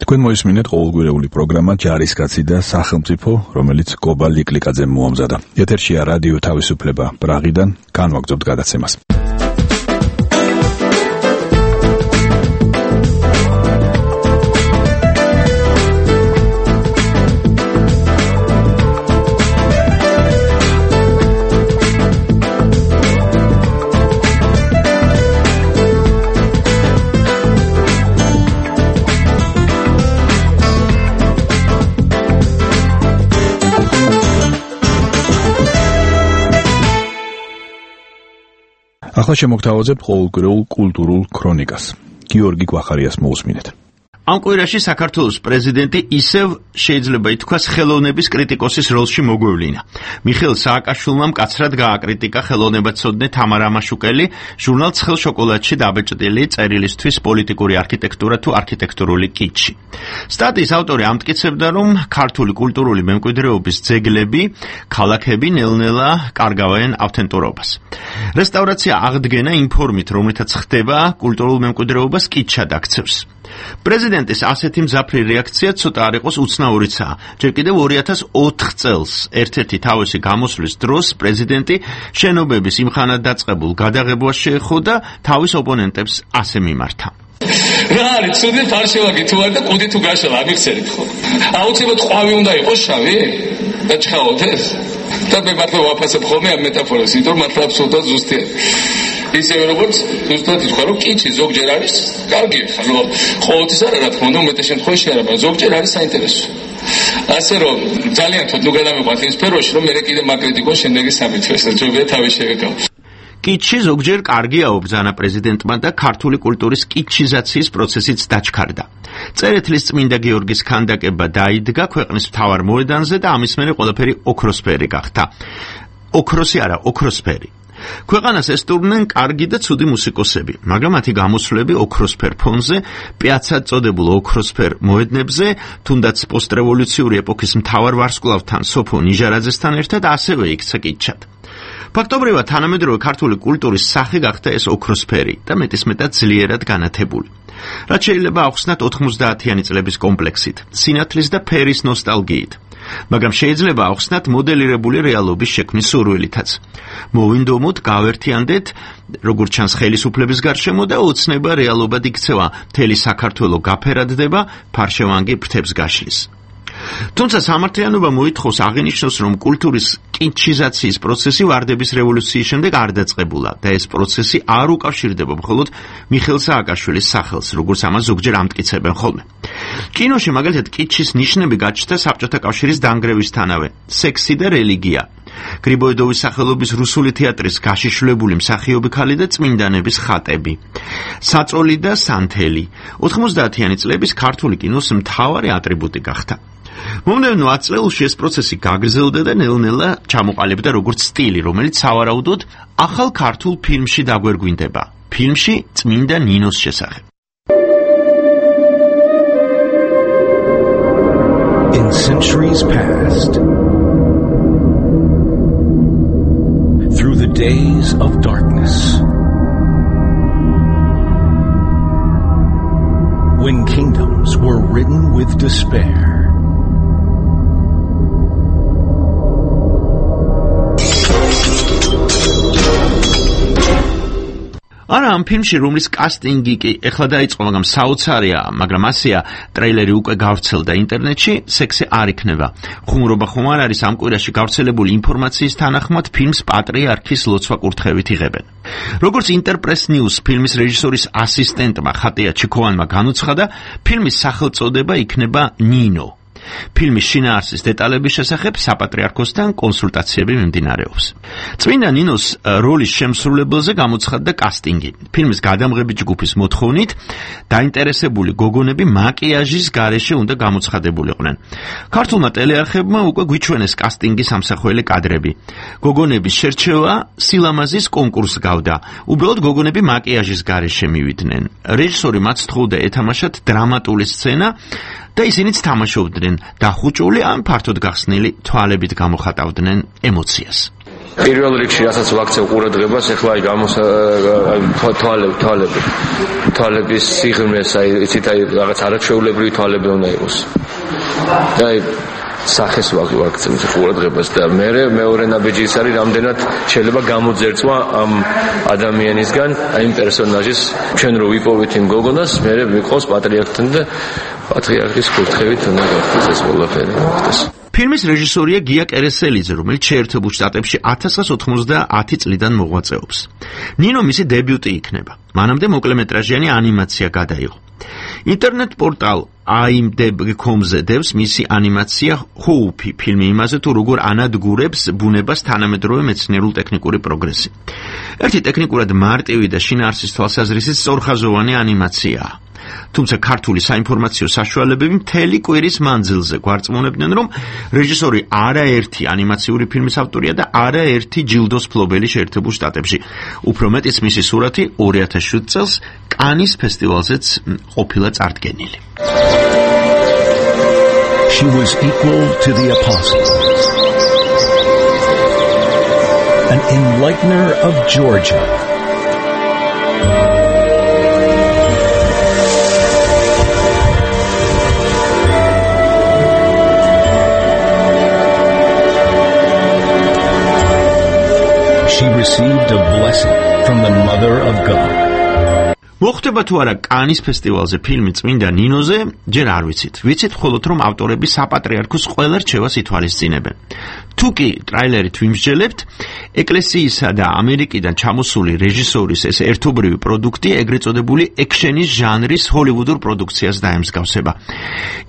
თქვენ მოისმინეთ ყოველგვარეული პროგრამა ჯარისკაცი და სახელმწიფო, რომელიც კობა ლიკლიკაძემ მოამზადა. ეთერშია რადიო თავისუფლება პრაღიდან, განვაგრძობთ გადაცემას. ახლა შემოგთავაზებთ ყოველკვირეულ კულტურულ ქრონიკას. გიორგი კვახარიას მოусმინეთ. ამ კვირაში საქართველოს პრეზიდენტი ისევ შეიძლება ითქვას ხელოვნების კრიტიკოსის როლში მოგვევლინა. მიხეილ სააკაშვილმა მკაცრად გააკრიტიკა ხელოვნებაცოდნე თამარა მაშუკელი ჟურნალ ცხელ შოკოლადში დაბეჭდილი წერილისთვის პოლიტიკური არქიტექტურა თუ არქიტექტურული კიჩი. სტატიის ავტორი ამტკიცებდა, რომ ქართული კულტურული მემკვიდრეობის ძეგლები, ქალაქები ნელ-ნელა კარგავენ ავთენტურობას. რესტავრაცია აღდგენა იმ ფორმით, რომლითაც ხდება კულტურულ მემკვიდრეობას კიჩად აქცევს. პრეზიდენტის ასეთი მძაფრი რეაქცია ცოტა არ იყოს უცნაურიცაა. ჯერ კიდევ ორი ათას ოთხ წელს ერთ-ერთი თავისი გამოსვლის დროს პრეზიდენტი შენობების იმხანად დაწყებულ გადაღებვას შეეხო და თავის ოპონენტებს ასე მიმართა. რა არის ცუდი ფარშევაგი თუ არ და კუდი თუ გაშალა ამიხსენით ხო? აუცილებლად ყვავი უნდა იყოს შავი? და ჩხავოთ ეს? და მე მართლა ვაფასებ ხოლმე ამ მეტაფორას, იმიტომ მართლა აბსოლუტურად ზუსტია. ისევე როგორც ზუსტად ითქვა რომ კიჩი ზოგჯერ არის კარგი ხა რომ ყოველთვის არა რა თქმა უნდა უმეტეს შემთხვევაში არა მაგრამ ზოგჯერ არის საინტერესო ასე რომ ძალიან თოთ ნუ გადამიყვანთ იმ სფეროში რომ მე კიდე მაკრიტიკოს შემდეგი სამი თვეს ჯობია თავი შევეკავ კიჩი ზოგჯერ კარგია ობრძანა პრეზიდენტმა და ქართული კულტურის კიჩიზაციის პროცესიც დაჩქარდა. წერეთლის წმინდა გიორგის ქანდაკება დაიდგა ქვეყნის მთავარ მოედანზე და ამის მერე ყველაფერი ოქროსფერი გახდა. ოქროსი არა, ოქროსფერი. ქვეყანას ესტუმრნენ კარგი და ცუდი მუსიკოსები, მაგრამ მათი გამოსვლები ოქროსფერ ფონზე, პიაცად წოდებულ ოქროსფერ მოედნებზე, თუნდაც პოსტრევოლუციური ეპოქის მთავარ ვარსკვლავთან სოფო ნიჟარაძესთან ერთად ასევე იქცა კიჩად. ფაქტობრივად თანამედროვე ქართული კულტურის სახე გახდა ეს ოქროსფერი და მეტისმეტად ძლიერად განათებული. რაც შეიძლება ახსნათ ოთხმოცდაათიანი წლების კომპლექსით, სინათლის და ფერის ნოსტალგიით. მაგრამ შეიძლება ახსნათ მოდელირებული რეალობის შექმნის სურვილითაც. მოვინდომოთ, გავერთიანდეთ, როგორც ჩანს ხელისუფლების გარშემო და ოცნება რეალობად იქცევა, მთელი საქართველო გაფერადდება, ფარშევანგი ფრთებს გაშლის. თუმცა სამართლიანობა მოითხოვს აღინიშნოს, რომ კულტურის კიჩიზაციის პროცესი ვარდების რევოლუციის შემდეგ არ დაწყებულა და ეს პროცესი არ უკავშირდება მხოლოდ მიხეილ სააკაშვილის სახელს, როგორც ამას ზოგჯერ ამტკიცებენ ხოლმე. კინოში მაგალითად კიჩის ნიშნები გაჩნდა საბჭოთა კავშირის დანგრევისთანავე, სექსი და რელიგია. გრიბოედოვის სახელობის რუსული თეატრის გაშიშვლებული მსახიობი ქალი და წმინდანების ხატები. საწოლი და სანთელი. ოთხმოცდაათიანი წლების ქართული კინოს მთავარი ატრიბუტი გახდა. მომდევნო ათ წელში ეს პროცესი გაგრძელდა და ნელ-ნელა ჩამოყალიბდა როგორც სტილი, რომელიც სავარაუდოდ ახალ ქართულ ფილმში დაგვერგვინდება. ფილმში წმინდა ნინოს შესახებ. In centuries past, through the days of darkness, when kingdoms were ridden with despair, არა ამ ფილმში რომლის კასტინგი კი ეხლა დაიწყო, მაგრამ საოცარია, მაგრამ ასეა, ტრეილერი უკვე გავრცელდა ინტერნეტში, სექსი არ იქნება. ხუმრობა ხომ არ არის ამ კვირაში გავრცელებული ინფორმაციის თანახმად ფილმს პატრიარქის ლოცვა კურთხევით იღებენ. როგორც ინტერპრეს ნიუს ფილმის რეჟისორის ასისტენტმა ხატია ჩიქოვანმა განუცხადა, ფილმის სახელწოდება იქნება ნინო. ფილმის შინაარსის დეტალების შესახებ საპატრიარქოსთან კონსულტაციები მიმდინარეობს. წმინდა ნინოს როლის შემსრულებელზე გამოცხადდა კასტინგი. ფილმის გადამღები ჯგუფის მოთხოვნით დაინტერესებული გოგონები მაკიაჟის გარეშე უნდა გამოცხადებულიყვნენ. ქართულმა ტელეარხებმა უკვე გვიჩვენეს კასტინგის ამსახველი კადრები. გოგონების შერჩევა სილამაზის კონკურს გავდა. უბრალოდ გოგონები მაკიაჟის გარეშე მივიდნენ. რეჟისორი მათ სთხოვდა ეთამაშათ დრამატული სცენა და ისინიც თამაშობდნენ დახუჭული ან ფართოდ გახსნილი თვალებით გამოხატავდნენ ემოციას. პირველ რიგში რასაც ვაქცევ ყურადღებას, ეხლა აი გამოს თვალები, თვალები. თვალების სიღრმეს, აი იცით, აი რაღაც არაჩვეულებრივი თვალები უნდა იყოს. და აი სახეს ვაქცევ ყურადღებას და მე მეორე ნაბიჯი ის არის, რამდენად შეიძლება გამოძერწვა ამ ადამიანისგან, აი იმ პერსონაჟის, ჩვენ რო ვიპოვეთ იმ გოგონას, მე ვიყავს პატრიარქთან და პატრიარქის კურთხევით უნდა გავხდეს ეს ყველაფერი. ფილმის რეჟისორია გია კერესელიძე, რომელიც შეერთებულ შტატებში ათას ოცდაათი წლიდან მოღვაწეობს. ნინო მისი დებიუტი იქნება. მანამდე მოკლემეტრაჟიანი ანიმაცია გადაიღო. ინტერნეტ პორტალ i m d b dot com-ზე დევს მისი ანიმაცია ჰოუფი, ფილმი იმაზე თუ როგორ ანადგურებს ბუნებას თანამედროვე მეცნიერულ-ტექნიკური პროგრესი. ერთი ტექნიკურად მარტივი და შინაარსის თვალსაზრისით სწორხაზოვანი ანიმაციაა. თუმცა ქართული საინფორმაციო საშუალებები მთელი კვირის მანძილზე გვარწმუნებდნენ, რომ რეჟისორი არაერთი ანიმაციური ფილმის ავტორია და არაერთი ჯილდოს მფლობელი შეერთებულ შტატებში. უფრო მეტიც მისი სურათი ორი ათას შვიდ წელს კანის ფესტივალზეც ყოფილა წარდგენილი. She was equal to the apostles, an enlightener of Georgia. received a blessing from the Mother of God. მოხდება თუ არა კანის ფესტივალზე ფილმი წმინდა ნინოზე, ჯერ არ ვიცით. ვიცით მხოლოდ რომ ავტორები საპატრიარქოს ყველა რჩევას ითვალისწინებენ. თუ კი ტრაილერით ვიმსჯელებთ, ეკლესიისა და ამერიკიდან ჩამოსული რეჟისორის ეს ერთობრივი პროდუქტი ეგრეთ წოდებული ექშენის ჟანრის ჰოლივუდურ პროდუქციას დაემსგავსება.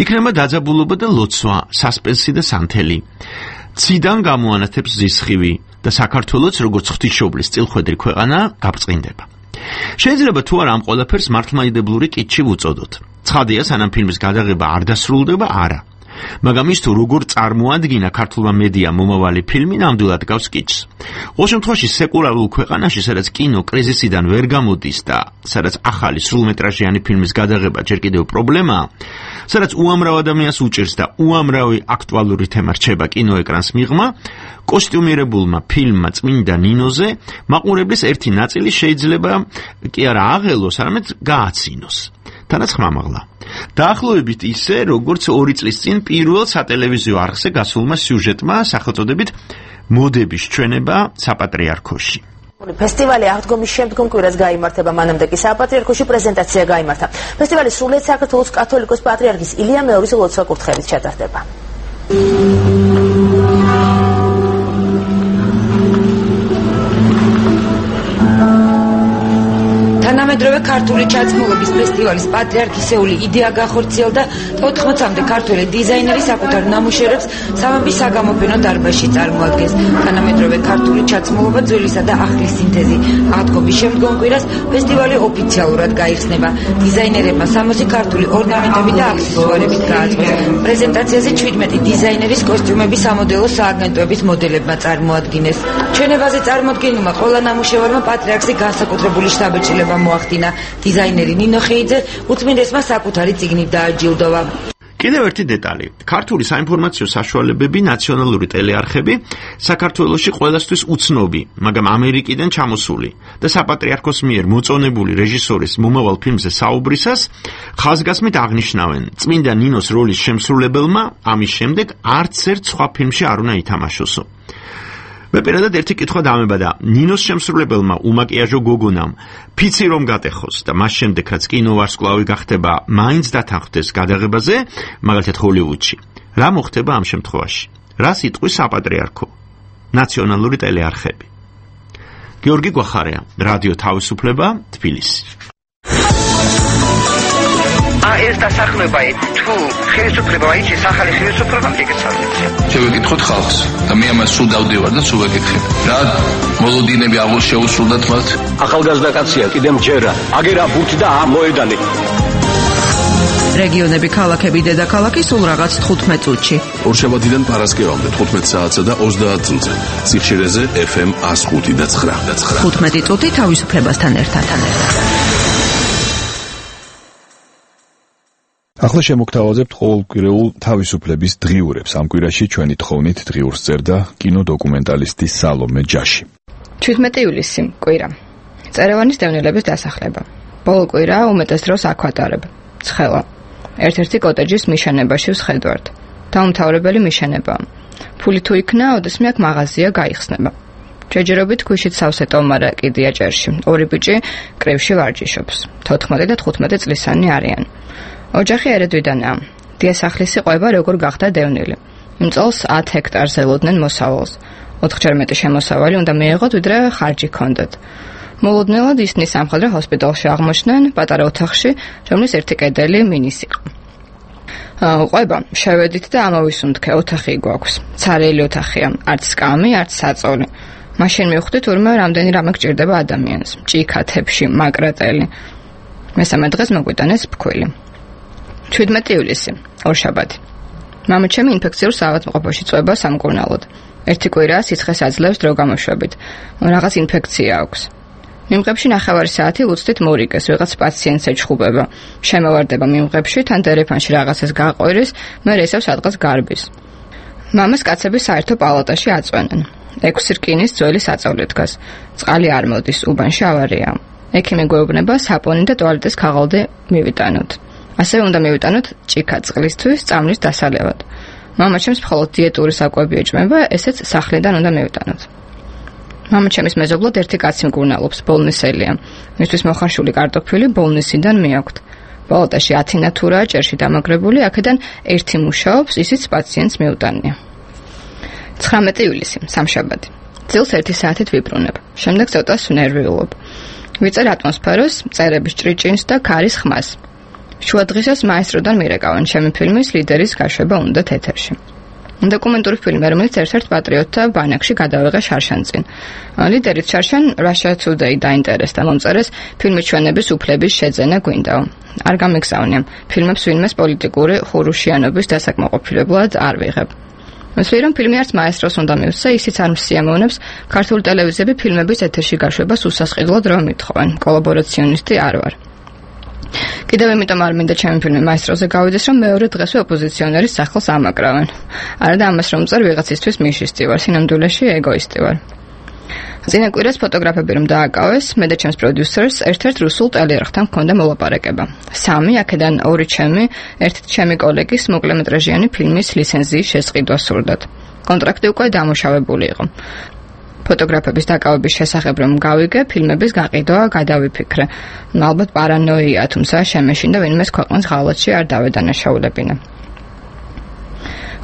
იქნება დაძაბულობა და ლოცვა, სასპენსი და სანთელი. ციდან გამოანათებს ზისხივი და საქართველოს როგორც ღვთისმშობლის წილხვედრი ქვეყანა გაბწყინდება. შეიძლება თუ არა ამ ყველაფერს მართლმადიდებლური კითხვი ვუწოდოთ. ცხადია, სანამ ფილმის გადაღება არ დასრულდება, არა. მაგრამ ის თუ როგორ წარმოადგინა ქართულმა მედიამ მომავალი ფილმი, ნამდვილად გავს კითხვს. ყოველ შემთხვევაში სეკულარულ ქვეყანაში, სადაც კინო კრიზისიდან ვერ გამოდის და სადაც ახალი სრულმეტრაჟიანი ფილმის გადაღება ჯერ კიდევ პრობლემაა, სადაც უამრავ ადამიანს უჭირს და უამრავი აქტუალური თემა რჩება კინოეკრანს მიღმა, კოსტიუმირებულმა ფილმმა წმინდა ნინოზე მაყურებლის ერთი ნაწილი შეიძლება კი არა აღელოს, არამედ გააცინოს. თანაც ხმამაღლა. დაახლოებით ისე, როგორც ორი წლის წინ პირველ სატელევიზიო არხზე გასულმა სიუჟეტმა სახელწოდებით მოდების ჩვენება საპატრიარქოში. ფესტივალი აღდგომის შემდგომ კვირას გაიმართება, მანამდე კი საპატრიარქოში პრეზენტაცია გაიმართა. ფესტივალი სრულიად საქართველოს კათოლიკოს პატრიარქის ილია მეორის ლოცვა კურთხევით ჩატარდება. თანამედროვე ქართული ჩაცმულობის ფესტივალის პატრიარქისეული იდეა გახორციელდა ოთხმოცამდე ქართველი დიზაინერი საკუთარ ნამუშევრებს სამების საგამოფენო დარბაზში წარმოადგენს. თანამედროვე ქართული ჩაცმულობა ძველისა და ახლის სინთეზი. აღდგომის შემდგომ კვირას ფესტივალი ოფიციალურად გაიხსნება. დიზაინერებმა სამოცი ქართული ორნამენტები და აქსესუარებით გააწყვეს. პრეზენტაციაზე ჩვიდმეტი დიზაინერის კოსტიუმები სამოდელო სააგენტოების მოდელებმა წარმოადგინეს. ჩვენებაზე წარმოდგენილმა ყველა ნამუშევარმა პატრიარქზე განსაკუთრებული შთაბეჭდილება მოახდინა. დიზაინერი ნინო ხეიძე უწმინდესმა საკუთარი წიგნით დააჯილდოვა. კიდევ ერთი დეტალი. ქართული საინფორმაციო საშუალებები, ნაციონალური ტელეარხები საქართველოში ყველასთვის უცნობი, მაგრამ ამერიკიდან ჩამოსული და საპატრიარქოს მიერ მოწონებული რეჟისორის მომავალ ფილმზე საუბრისას ხაზგასმით აღნიშნავენ, წმინდა ნინოს როლის შემსრულებელმა ამის შემდეგ არც ერთ სხვა ფილმში არ უნდა ითამაშოსო. მე პირადად ერთი კითხვა დამებადა. ნინოს შემსრულებელმა უმაკიაჟო გოგონამ ფიცი რომ გატეხოს და მას შემდეგ რაც კინოვარსკვლავი გახდება, მაინც დათანხმდეს გადაღებაზე, მაგალითად ჰოლივუდში. რა მოხდება ამ შემთხვევაში? რას იტყვის საპატრიარქო? ნაციონალური ტელეარხები. გიორგი გვახარია, რადიო თავისუფლება, თბილისი. ეს დასახლება თუ ხელისუფლება აიჩის ახალი ხელისუფლება მიგეცალეთ. შევეკითხოთ ხალხს და მე ამას სულ დავდივარ და სულ ვეკითხებ. რა მოლოდინები აღარ შეუსრულდათ მათ? ახალგაზრდა კაცია, კიდე მჯერა, აგერა ბურთი და ამოედანი. რეგიონები, ქალაქები, დედაქალაქი სულ რაღაც თხუთმეტ წუთში. ორშაბათიდან პარასკევამდე თხუთმეტ საათსა და ოცდაათ წუთზე. სიხშირეზე ეფ ემ one oh five და nine. თხუთმეტი წუთი თავისუფლებასთან ერთად. ახლა შემოგთავაზებთ ყოველკვირეულ თავისუფლების დღიურებს. ამ კვირაში ჩვენი თხოვნით დღიურს წერდა კინოდოკუმენტალისტი სალომე ჯაში. ჩვიდმეტი ივლისი, კვირა. წერევანის დევნილების დასახლება. ბოლო კვირა უმეტეს დროს აქ ვატარებ. ცხელა. ერთ-ერთი კოტეჯის მიშენებაში ვსხედვართ. დაუმთავრებელი მიშენება. ფული თუ იქნა, ოდესმე აქ მაღაზია გაიხსნება. ჯეჯერობით ქვიშით სავსე ტომარა კიდია ჭერში. ორი ბიჭი კრივში ვარჯიშობს. თოთხმეტი და თხუთმეტი წლისანი არიან. ოჯახი ერედვიდანაა. დიასახლისი ყვება როგორ გახდა დევნილი. იმ წელს ათ ჰექტარზე ელოდნენ მოსავალს. ოთხჯერ მეტი შემოსავალი უნდა მიეღოთ, ვიდრე ხარჯი ჰქონდათ. მოლოდნელად ისინი სამხედრო ჰოსპიტალში აღმოჩნდნენ, პატარა ოთახში, რომლის ერთი კედელი მინის იყო. ყვება, შევედით და ამოვისუნთქე, ოთახი გვაქვს. ცარიელი ოთახია, არც სკამი, არც საწოლი. მაშინ მივხვდი თურმე რამდენი რამე გჭირდება ადამიანს. ჭიქა, თეფში, მაკრატელი. მესამე დღეს მოგვიტანეს ფქვილი. ჩვიდმეტი ივლისი, ორშაბათი. მამაჩემი ინფექციურ საავადმყოფოში წვება სამკურნალოდ. ერთი კვირა სიცხეს აძლევს დრო გამოშვებით. რაღაც ინფექცია აქვს. მიმღებში ნახევარი საათი უცდით მორიგეს, ვიღაც პაციენტს ეჩხუბება. შემოვარდება მიმღებში, თან დერეფანში რაღაცას გაყვირის, მერე ისევ სადღაც გარბის. მამას კაცები საერთო პალატაში აწვენენ. ექვსი რკინის ძველი საწოლი დგას. წყალი არ მოდის, უბანში ავარია. ექიმი გვეუბნება საპონი და ტუალეტის ქაღალდი მივიტანოთ. ასევე უნდა მივიტანოთ ჭიქა წყლისთვის წამლის დასალევად. მამაჩემს მხოლოდ დიეტური საკვები ეჭმება, ესეც სახლიდან უნდა მივიტანოთ. მამაჩემის მეზობლად ერთი კაცი მკურნალობს, ბოლნისელია. მისთვის მოხარშული კარტოფილი ბოლნისიდან მიაქვთ. ბოლოტაში ათი ნათურაა ჭერში დამაგრებული, აქედან ერთი მუშაობს, ისიც პაციენტს მიუტანია. ცხრამეტი ივლისი, სამშაბათი. წილს ერთი საათით ვიბრუნებ. შემდეგ ცოტა ნერვიულობ. ვიწერ ატმოსფეროს, წერების ჭრიჭინს და ქარის ხმას. შუადღისას მაესტროდან მირეკავენ ჩემი ფილმის ლიდერის გაშვება უნდათ ეთერში. დოკუმენტური ფილმი, რომელიც ერთ-ერთ პატრიოტთა ბანაკში გადავიღე შარშანწინ. ლიდერით შარშან Russia Today დაინტერესდა მომწერეს ფილმი ჩვენების უფლების შეძენა გვინდაო. არ გამიგზავნია. ფილმებს ვინმეს პოლიტიკური ხურუშიანობის დასაკმაყოფილებლად არ ვიღებ. მსვლი რომ ფილმი არც მაესტროს უნდა მივსე, ისიც არ მსიამოვნებს ქართული ტელევიზიები ფილმების ეთერში გაშვებას უსასყიდლოდ რომ ითხოვენ. კოლაბორაციონისტი არ ვარ. კიდევ იმიტომ არ მინდა ჩემი ფილმი მაესტროზე გავიდეს, რომ მეორე დღესვე ოპოზიციონერის სახლს ამაკრავენ. არა და ამას რომ წერ ვიღაცისთვის მიშისტი ვარ, სინამდვილეში ეგოისტი ვარ. წინა კვირას ფოტოგრაფები რომ დააკავეს, მე და ჩემს პროდიუსერს ერთ-ერთ რუსულ ტელეარხთან ჰქონდა მოლაპარაკება. სამი, აქედან ორი ჩემი, ერთი ჩემი კოლეგის მოკლემეტრაჟიანი ფილმის ლიცენზიის შესყიდვა სურდათ. კონტრაქტი უკვე დამუშავებული იყო. ფოტოგრაფების დაკავების შესახებ რომ გავიგე, ფილმების გაყიდვა გადავიფიქრე. ალბათ პარანოია, თუმცა შემეშინდა ვინმეს ქვეყნის ღალატში არ დავედანაშაულებინა.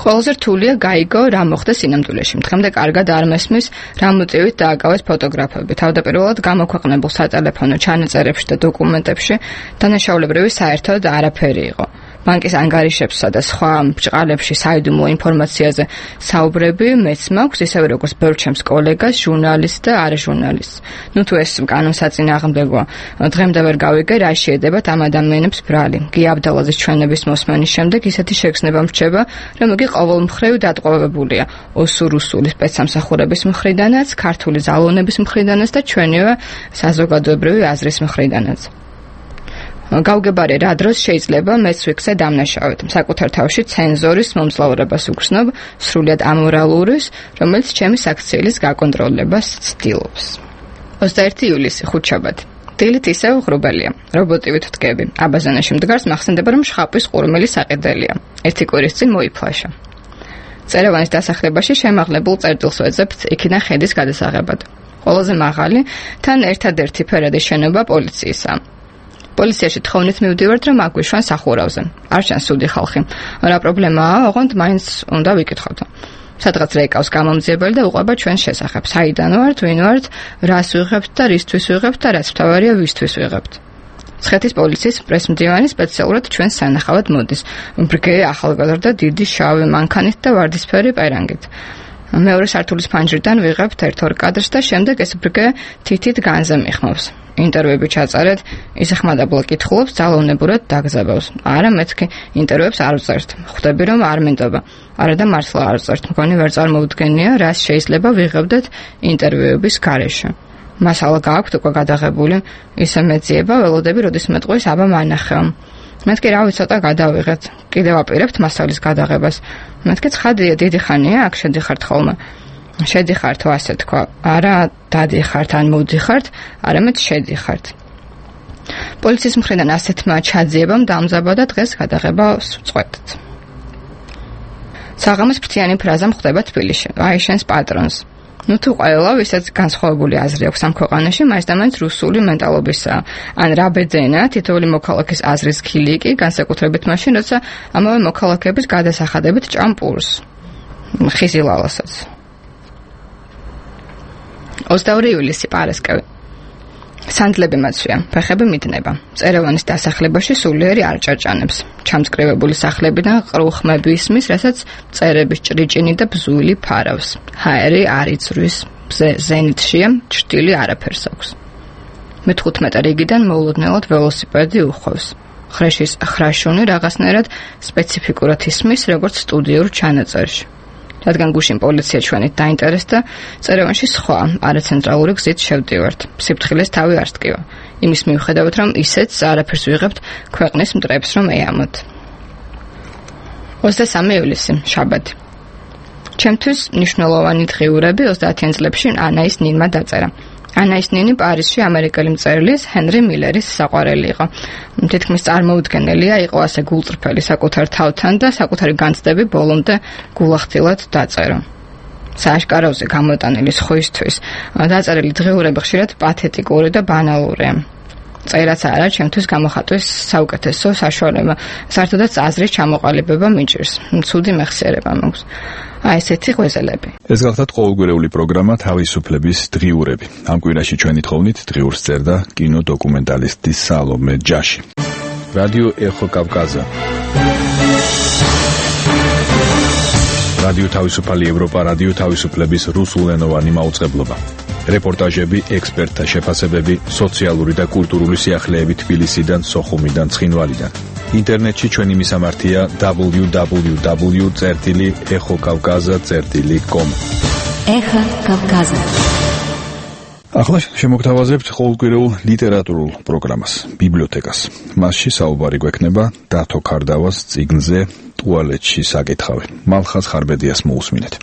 ყველაზე რთულია გაიგო რა მოხდა სინამდვილეში. დღემდე კარგად არ მესმის რა მოტივით დააკავეს ფოტოგრაფები. თავდაპირველად გამოქვეყნებულ სატელეფონო ჩანაწერებში და დოკუმენტებში დანაშაულებრივი საერთოდ არაფერი იყო. ბანკის ანგარიშებსა და სხვა ბრჭყალებში საიდუმლო ინფორმაციაზე საუბრები მეც მაქვს, ისევე როგორც ბევრ ჩემს კოლეგას, ჟურნალისტს და არაჟურნალისტს. ნუ თუ ეს კანონსაწინააღმდეგოა, დღემდე ვერ გავიგე რა შეედებათ ამ ადამიანებს ბრალი. გი აბდალაძის ჩვენების მოსმენის შემდეგ ისეთი შეგრძნება მრჩება, რომ იგი ყოველმხრივ დატყვევებულია ოსურუსული სპეცსამსახურების მხრიდანაც, ქართული ზალონების მხრიდანაც და ჩვენივე საზოგადოებრივი აზრის მხრიდანაც. გავგებარე რა დროს შეიძლება მეც ვიქცე დამნაშავედ. საკუთარ თავში ცენზორის მომძლავრებას უგრძნობ, სრულიად ამორალურის, რომელიც ჩემი საქციელის გაკონტროლებას ცდილობს. ოცდაერთი ივლისი, ხუთშაბათი. დილით ისევ ღრუბელია. რობოტივით ვდგები. აბაზანაში მდგარს მახსენდება, რომ შხაპის ყურმელი საყიდელია. ერთი კვირის წინ მოიფლაშა. წერევანის დასახლებაში შემაღლებულ წერტილს ვეძებთ იქიდან ხედის გადასაღებად. ყველაზე მაღალი, თან ერთადერთი ფერადი შენობა პოლიციისა. პოლიციაში თხოვნით მივდივართ, რომ აგვიშვან სახურავზე. არ ჩანს სუდი ხალხი. რა პრობლემაა, ოღონდ მაინც უნდა ვიკითხოთ. სადღაც რეკავს გამომძიებელი და უყვება ჩვენს შესახებ. საიდან ვართ, ვინ ვართ, რას ვიღებთ და რისთვის ვიღებთ და რაც მთავარია ვისთვის ვიღებთ. ცხეთის პოლიციის პრესმდივანი სპეციალურად ჩვენს სანახავად მოდის. ბრგე ახალგაზრდა დიდი შავი მანქანით და ვარდისფერი პერანგით. მეორე სართულის ფანჯრიდან ვიღებთ ერთ-ორ კადრს და შემდეგ ეს ბრგე თითით განზე მიხმობს. ინტერვიუები ჩაწერეთ, ისეხმადაბლა კითხულობს, ძალოვნებურად დაგზაბავს. არა, მეთქი ინტერვიუებს არ ვწერთ. ხვდები რომ არ მინდობა. არა და მართლა არ ვწერთ. მგონი ვერ წარმოუდგენია, რას შეიძლება ვიღებდეთ ინტერვიუების გარეშე. მასალა გააქვთ უკვე გადაღებული, ისე მეძიება, ველოდები, როდის მეტყვის აბა მანახეო. მეთქი რავი ცოტა გადავიღეთ. კიდევ აპირებთ მასალის გადაღებას. მეთქი ცხადია, დიდი ხანია აქ შედიხართ ხოლმე. შედიხართ, ასე თქვა. არა დადიხართ ან მოდიხართ, არამედ შედიხართ. პოლიციის მხრიდან ასეთმა ჩაძიებამ დამზაბადა დღეს გადაღებას ვწყვეტთ. საღამოს ფრთიანი ფრაზა მხდება თბილისში. აი შენს პატრონს. ნუ თუ ყველა ვისაც განსხვავებული აზრი აქვს ამ ქვეყანაში, მაინც და მაინც რუსული მენტალობისაა. ან რა ბეძენა, თითოეული მოქალაქის აზრის ხილი კი, განსაკუთრებით მაშინ, როცა ამავე მოქალაქეების გადასახადებით ჭამპურს. ხიზილალასაც. ოცდაორი ივლისი, პარასკევი. სანდლები მაცვია, ფეხები მიდნება. წერევანის დასახლებაში სულიერი არ ჭარჭანებს. ჩამწკრივებული სახლებიდან ყრუ ხმები ისმის, რასაც წერების ჭრიჭინი და ბზული ფარავს. ჰაერი არ იწვრის, ზენიტშია, ჭრტილი არაფერს აქვს. მეთხუთმეტე რიგიდან მოულოდნელად ველოსიპედი უხვევს. ხრეშის ხრაშუნი რაღაცნაირად სპეციფიკურად ისმის, როგორც სტუდიურ ჩანაწერში. რადგან გუშინ პოლიცია ჩვენით დაინტერესდა, წერევანში სხვა არაცენტრალური გზით შევდივართ. სიფრთხილეს თავი არ სტკივა. იმის მიუხედავად, რომ ისეც არაფერს ვიღებთ ქვეყნის მტრებს რომ ეამოთ. ოცდასამი ივლისი, შაბათი. ჩემთვის მნიშვნელოვანი დღიურები ოცდაათიან წლებში ანაის ნინმა დაწერა. ანაის ნინი პარიზში ამერიკელი მწერლის ჰენრი მილერის საყვარელი იყო. თითქმის წარმოუდგენელია იყო ასე გულწრფელი საკუთარ თავთან და საკუთარი განცდები ბოლომდე გულახდილად დაწერა. სააშკაროზე გამოტანილი სხვისთვის დაწერილი დღიურები ხშირად პათეტიკური და ბანალურია. წერაც არა, ჩემთვის გამოხატვის საუკეთესო საშუალება. საერთოდაც აზრის ჩამოყალიბება მიჭირს. ცუდი მეხსიერება მაქვს. აი ესეთი ღვეზელები. ეს გახლავთ ყოველგვარეული პროგრამა თავისუფლების დღიურები. ამ კვირაში ჩვენი თხოვნით დღიურს წერდა კინოდოკუმენტალისტი სალომე ჯაში. რადიო ეხო კავკაზა. რადიო თავისუფალი ევროპა, რადიო თავისუფლების რუსულენოვანი მაუწყებლობა. რეპორტაჟები, ექსპერტთა შეფასებები, სოციალური და კულტურული სიახლეები თბილისიდან, სოხუმიდან, ცხინვალიდან. ინტერნეტში ჩვენი მისამართია დაბლიუ დაბლიუ დაბლიუ წერტილი ეხო კავკაზა წერტილი კომ. ეხა კავკაზა. ახლა შემოგთავაზებთ ყოველკვირეულ ლიტერატურულ პროგრამას, ბიბლიოთეკას. მასში საუბარი გვექნება დათო ქარდავას წიგნზე ტუალეტში საკითხავი. მალხაზ ხარბედიას მოусმინეთ.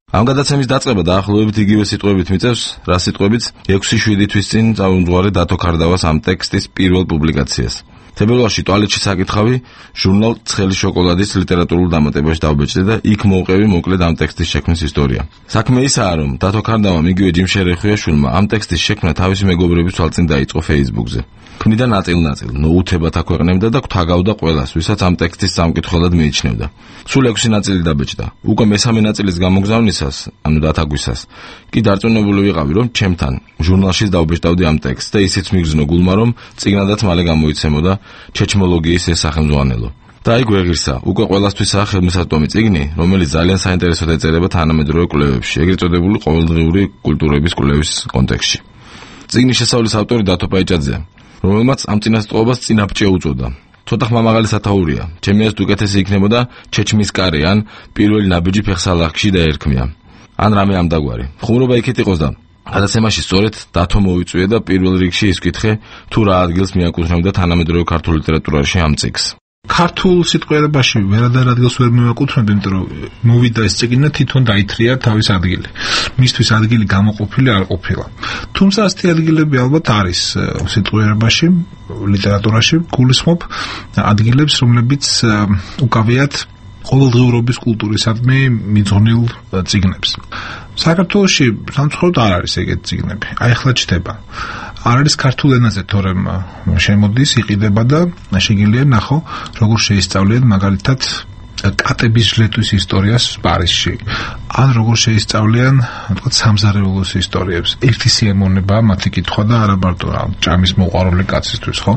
ამ გადაცემის დაწყება დაახლოებით იგივე სიტყვებით მიწევს, რა სიტყვებით ექვსი შვიდი თვის წინ წამომძღვარი დათო ქარდავას ამ ტექსტის პირველ პუბლიკაციას. თებერვალში ტუალეტში საკითხავი ჟურნალ ცხელი შოკოლადის ლიტერატურულ დამატებაში დავბეჭდე და იქ მოვყევი მოკლედ ამ ტექსტის შექმნის ისტორია. საქმე ისაა, რომ დათო ქარდავამ იგივე ჯიმ შერეხუიაშვილმა ამ ტექსტის შექმნა თავისი მეგობრების თვალწინ დაიწყო Facebook-ზე. ქმნიდა ნაწილ-ნაწილ, ნოუთებად აქვეყნებდა და გვთაგავდა ყველას, ვისაც ამ ტექსტის სამკითხველად მიიჩნევდა. სულ ექვსი ნაწილი დაბეჭდა. უკვე მესამე ნაწილის გამოგზავნისას, ანუ დათაგვისას, კი დარწმუნებული ვიყავი, რომ ჩემთან ჟურნალშიც დავბეჭდავდი ამ ტექსტს და ისიც მიგრძნო გულმა, რომ წიგნადაც მალე გამოიცემოდა ჩეჩმოლოგიის ეს სახელმძღვანელო. და აი გვეღირსა, უკვე ყველასთვისაა ხელმისაწვდომი წიგნი, რომელიც ძალიან საინტერესოდ ეწერება თანამედროვე კვლევებში, ეგრეთ წოდებული ყოველდღიური კულტურების კვლევის კონტექსტში. წიგნის შესავლის ავტორი დათო პაიჭაძეა, რომელმაც ამ წინასწრობას წინაპჭე უწოდა. ცოტა ხმამაღალი სათაურია. ჩემი აზრით უკეთესი იქნებოდა ჩეჩმის კარი ან პირველი ნაბიჯი ფეხსალახში დაერქმია. ან რამე ამდაგვარი. ხუმრობა იქით იყოს და გადაცემაში სწორედ დათო მოვიწვია და პირველ რიგში ის კითხე, თუ რა ადგილს მიაკუთვნებდა თანამედროვე ქართულ ლიტერატურაში ამ წიგნს. ქართულ სიტყვიერებაში ვერადარ ადგილს ვერ მივაკუთვნებდი, იმიტომ რომ მოვიდა ეს წიგნი თვითონ დაითრია თავის ადგილი. მისთვის ადგილი გამოყოფილი არ ყოფილა. თუმცა ასეთი ადგილები ალბათ არის სიტყვიერებაში, ლიტერატურაში, გულისხმობ ადგილებს, რომლებიც უკავიათ ყოველდღიურობის კულტურისადმი მიძღვნილ წიგნებს. საქართველოში სამწუხაროდ არ არის ეგეთი წიგნები. აი ახლა ჩდება. არ არის ქართულ ენაზე, თორემ შემოდის, იყიდება და შეგიძლია ნახო, როგორ შეისწავლიან მაგალითად კატების ჟლეტვის ისტორიას პარიზში. ან როგორ შეისწავლიან, თქვა, სამზარეულოს ისტორიებს. ერთი სიამოვნებაა მათი კითხვა და არა მარტო ჭამის მოყვარული კაცისთვის, ხო?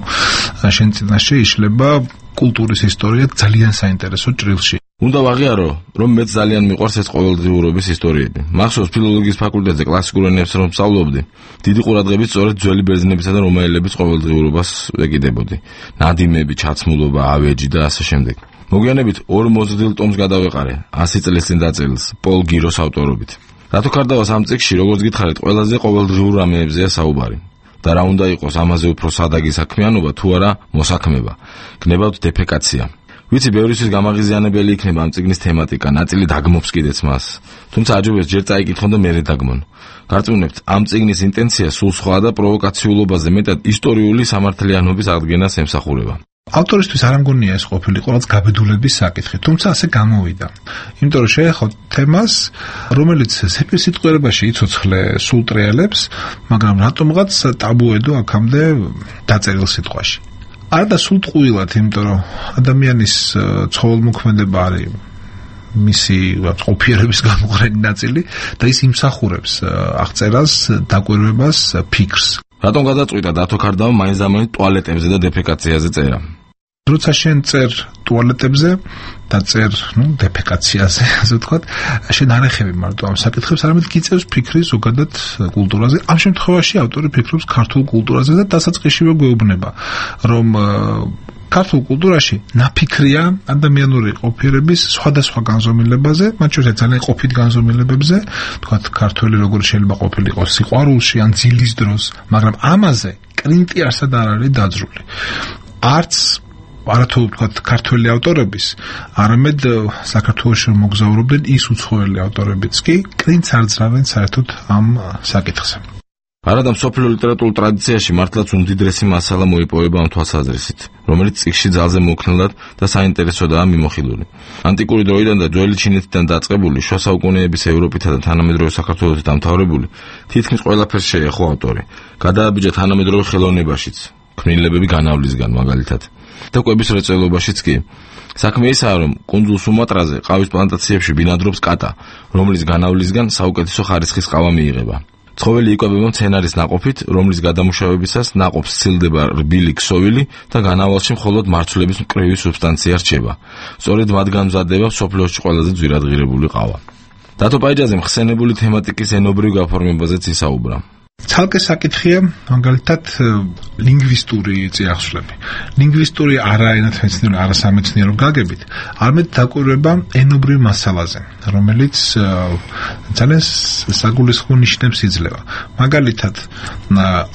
შენ წინაშე იშლება კულტურის ისტორია ძალიან საინტერესო ჭრილში. უნდა ვაღიარო, რომ მეც ძალიან მიყვარს ეს ყოველდღიურობის ისტორიები. მახსოვს ფილოლოგიის ფაკულტეტზე კლასიკურ ენებს რომ სწავლობდი, დიდი ყურადღებით სწორედ ძველი ბერძნებისა და რომაელების ყოველდღიურობას ვეკიდებოდი. ნადიმები, ჩაცმულობა, ავეჯი და ასე შემდეგ. მოგვიანებით ორ მოზრდილ ტომს გადავეყარე, ასი წლის წინ დაწერილს, პოლ გიროს ავტორობით. დათო ქარდავას ამ წიგნში, როგორც გითხარით, ყველაზე ყოველდღიურ რამეებზეა საუბარი. და რა უნდა იყოს ამაზე უფრო სადაგი საქმიანობა თუ არა მოსაქმება. გნებავთ დეფეკაცია. ვიცი, ბევრისთვის გამაღიზიანებელი იქნება ამ წიგნის თემატიკა, ნაწილი დაგმობს კიდეც მას. თუმცა აჯობებს ჯერ წაიკითხონ და მერე დაგმონ. გარწმუნებთ, ამ წიგნის ინტენცია სულ სხვა და პროვოკაციულობაზე მეტად ისტორიული სამართლიანობის აღდგენას ემსახურება. ავტორისთვის არ ამგონია ეს ყოფილიყო რაც გაბედულების საკითხი, თუმცა ასე გამოვიდა. იმიტომ რომ შეეხო თემას, რომელიც სიტყვიერებაში იცოცხლე სულ ტრიალებს, მაგრამ რატომღაც ტაბუედო აქამდე დაწერილ სიტყვაში. არა და სულ ტყუილად, იმიტომ რომ ადამიანის ცხოველმოქმედება არის მისი ყოფიერების გამოყრენი ნაწილი და ის იმსახურებს აღწერას, დაკვირვებას, ფიქრს. რატომ გადაწყვიტა დათო ქარდავამ მაინც-ამაინც ტუალეტებზე და დეფეკაციაზე წერა? როცა შენ წერ ტუალეტებზე და წერ, ნუ, დეფეკაციაზე, ასე ვთქვათ, შენ არ ეხები მარტო ამ საკითხებს, არამედ გიწევს ფიქრი ზოგადად კულტურაზე. ამ შემთხვევაში ავტორი ფიქრობს ქართულ კულტურაზე და დასაწყისშივე გვეუბნება, რომ ქართულ კულტურაში ნაფიქრია ადამიანური ყოფიერების სხვადასხვა განზომილებაზე, მათ შორის ძალიან ყოფით განზომილებებზე, ვთქვათ, ქართველი როგორ შეიძლება ყოფილიყო სიყვარულში ან ძილის დროს, მაგრამ ამაზე კრინტი არსად არ არის დაძრული. არც არათუ ვთქვათ ქართველი ავტორების, არამედ საქართველოში მოგზაურობდნენ ის უცხოელი ავტორებიც კი კრინტს არ ძრავენ საერთოდ ამ საკითხზე. არადა მსოფლიო ლიტერატურულ ტრადიციაში მართლაც უმდიდრესი მასალა მოიპოვება ამ თვალსაზრისით, რომელიც წიგნში ძალზე მოქნილად და საინტერესოდაა მიმოხილული. ანტიკური დროიდან და ძველი ჩინეთიდან დაწყებული შუა საუკუნეების ევროპითა და თანამედროვე საქართველოსით დამთავრებული თითქმის ყველაფერს შეეხო ავტორი. გადააბიჯა თანამედროვე ხელოვნებაშიც, ქმნილებები განავლისგან მაგალითად. და კვების მრეწველობაშიც კი. საქმე ისაა, რომ კუნძულ სუმატრაზე ყავის პლანტაციებში ბინადრობს კატა, რომლის განავლისგან საუკეთესო ხარისხის ყავა მიიღება. ცხოველი იკვებება მცენარის ნაყოფით, რომლის გადამუშავებისას ნაყოფს სცილდება რბილი ქსოვილი და განავალში მხოლოდ მარცვლების მკრივი სუბსტანცია რჩება. სწორედ მათგან მზადდება მსოფლიოში ყველაზე ძვირადღირებული ყავა. დათო პაიჯაძემ ხსენებული თემატიკის ენობრივ გაფორმებაზეც ისაუბრა. ცალკე საკითხია მაგალითად ლინგვისტური წიაღსვლები. ლინგვისტური არა ენათმეცნიერო, არა სამეცნიერო გაგებით, არამედ დაკვირვება ენობრივ მასალაზე, რომელიც ძალიან საგულისხმო ნიშნებს იძლევა. მაგალითად,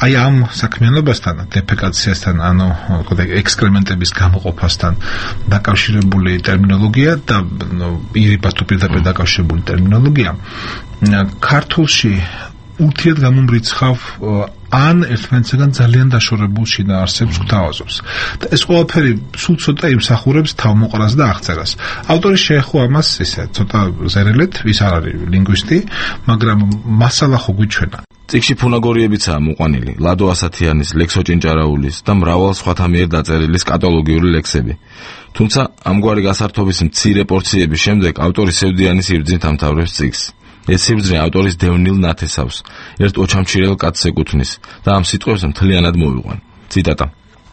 აი ამ საქმიანობასთან, დეფეკაციასთან, ანუ ექსკრემენტების გამოყოფასთან დაკავშირებული ტერმინოლოგია და ირიბას თუ პირდაპირ დაკავშირებული ტერმინოლოგია ქართულში ურთიერთ გამომრიცხავ ან ერთმანეთსაგან ძალიან დაშორებულ შინაარსებს გვთავაზობს. და ეს ყველაფერი სულ ცოტა იმსახურებს თავმოყრას და აღწერას. ავტორი შეეხო ამას ისე ცოტა ზერელეთ, ვის არ არის ლინგვისტი, მაგრამ მასალა ხო გვიჩვენა. წიგნში ფუნაგორიებიცაა მოყვანილი, ლადო ასათიანის, ლექსო ჭინჭარაულის და მრავალ სხვათა მიერ დაწერილი სკატოლოგიური ლექსები. თუმცა ამგვარი გასართობის მცირე პორციების შემდეგ ავტორი სევდიანის იბრძნით ამთავრებს წიგნს. ეს სიბრძნე ავტორის დევნილ ნათესავს, ერთ ოჩამჩირელ კაცს ეკუთვნის და ამ სიტყვებს მთლიანად მოვიყვან. ციტატა: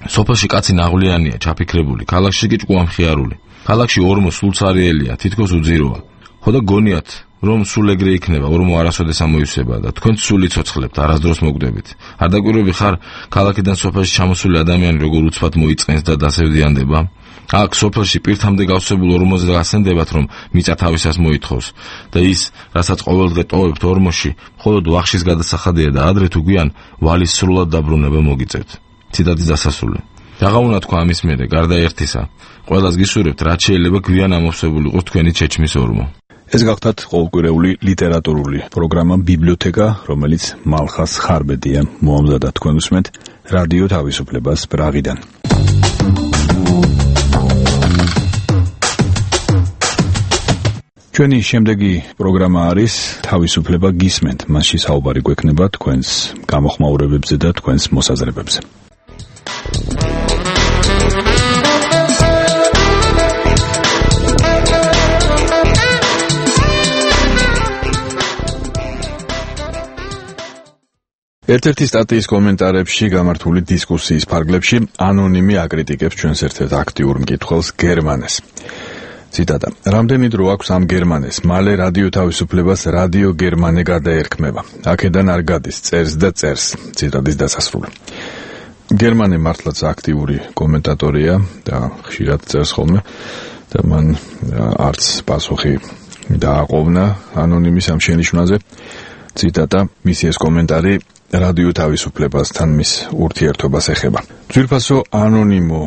სოფელში კაცი ნაღვლიანია, ჩაფიქრებული, ქალაქში კი ჭკუამხიარული. ქალაქში ორმო სულცარიელია, თითქოს უძიროა. ხო და გონიათ, რომ სულ ეგრე იქნება, ორმო არასოდეს ამოივსება და თქვენ სულ იცოცხლებთ, არასდროს მოგდებით. არ დაკვირვები ხარ, ქალაქიდან სოფელში ჩამოსული ადამიანი როგორ უცბად მოიწყენს და დასევდიანდება? აქ სოფელში პირთამდე გავსებულ ორმოზე გასცენდებათ, რომ მიწა თავისას მოითხოვს და ის, რასაც ყოველდღე ტოვებთ ორმოში, მხოლოდ ვახშის გადასახადია და ადრე თუ გვიან ვალის სრულად დაბრუნება მოგიწევთ. ციტატის დასასრული. რაღა უნდა თქვა ამის მერე, გარდა ერთისა, ყველას გისურვებთ, რაც შეიძლება გვიან ამოვსებულიყოს თქვენი ჩეჩმის ორმო. ეს გახდათ ყოველკვირეული ლიტერატურული პროგრამა ბიბლიოთეკა, რომელიც მალხას ხარბედია მოამზადა თქვენ უსმენთ რადიო თავისუფლებას პრაღიდან. ჩვენი შემდეგი პროგრამა არის თავისუფლება გისმენთ. მასში საუბარი გვექნება თქვენს გამოხმაურებებზე და თქვენს მოსაზრებებზე. ერთ-ერთი სტატიის კომენტარებში გამართული დისკუსიის ფარგლებში ანონიმი აკრიტიკებს ჩვენს ერთ-ერთ აქტიურ მკითხველს გერმანეს. ციტატა: რამდენი დრო აქვს ამ გერმანეს? მალე რადიო თავისუფლებას რადიო გერმანე გადაერქმება. აქედან არ გადის, წერს და წერს. ციტატის დასასრული. გერმანე მართლაც აქტიური კომენტატორია და ხშირად წერს ხოლმე და მან არც პასუხი დააყოვნა ანონიმის ამ შენიშვნაზე. ციტატა: მისი ეს კომენტარი რადიო თავისუფლებასთან მის ურთიერთობას ეხება. ძვირფასო ანონიმო,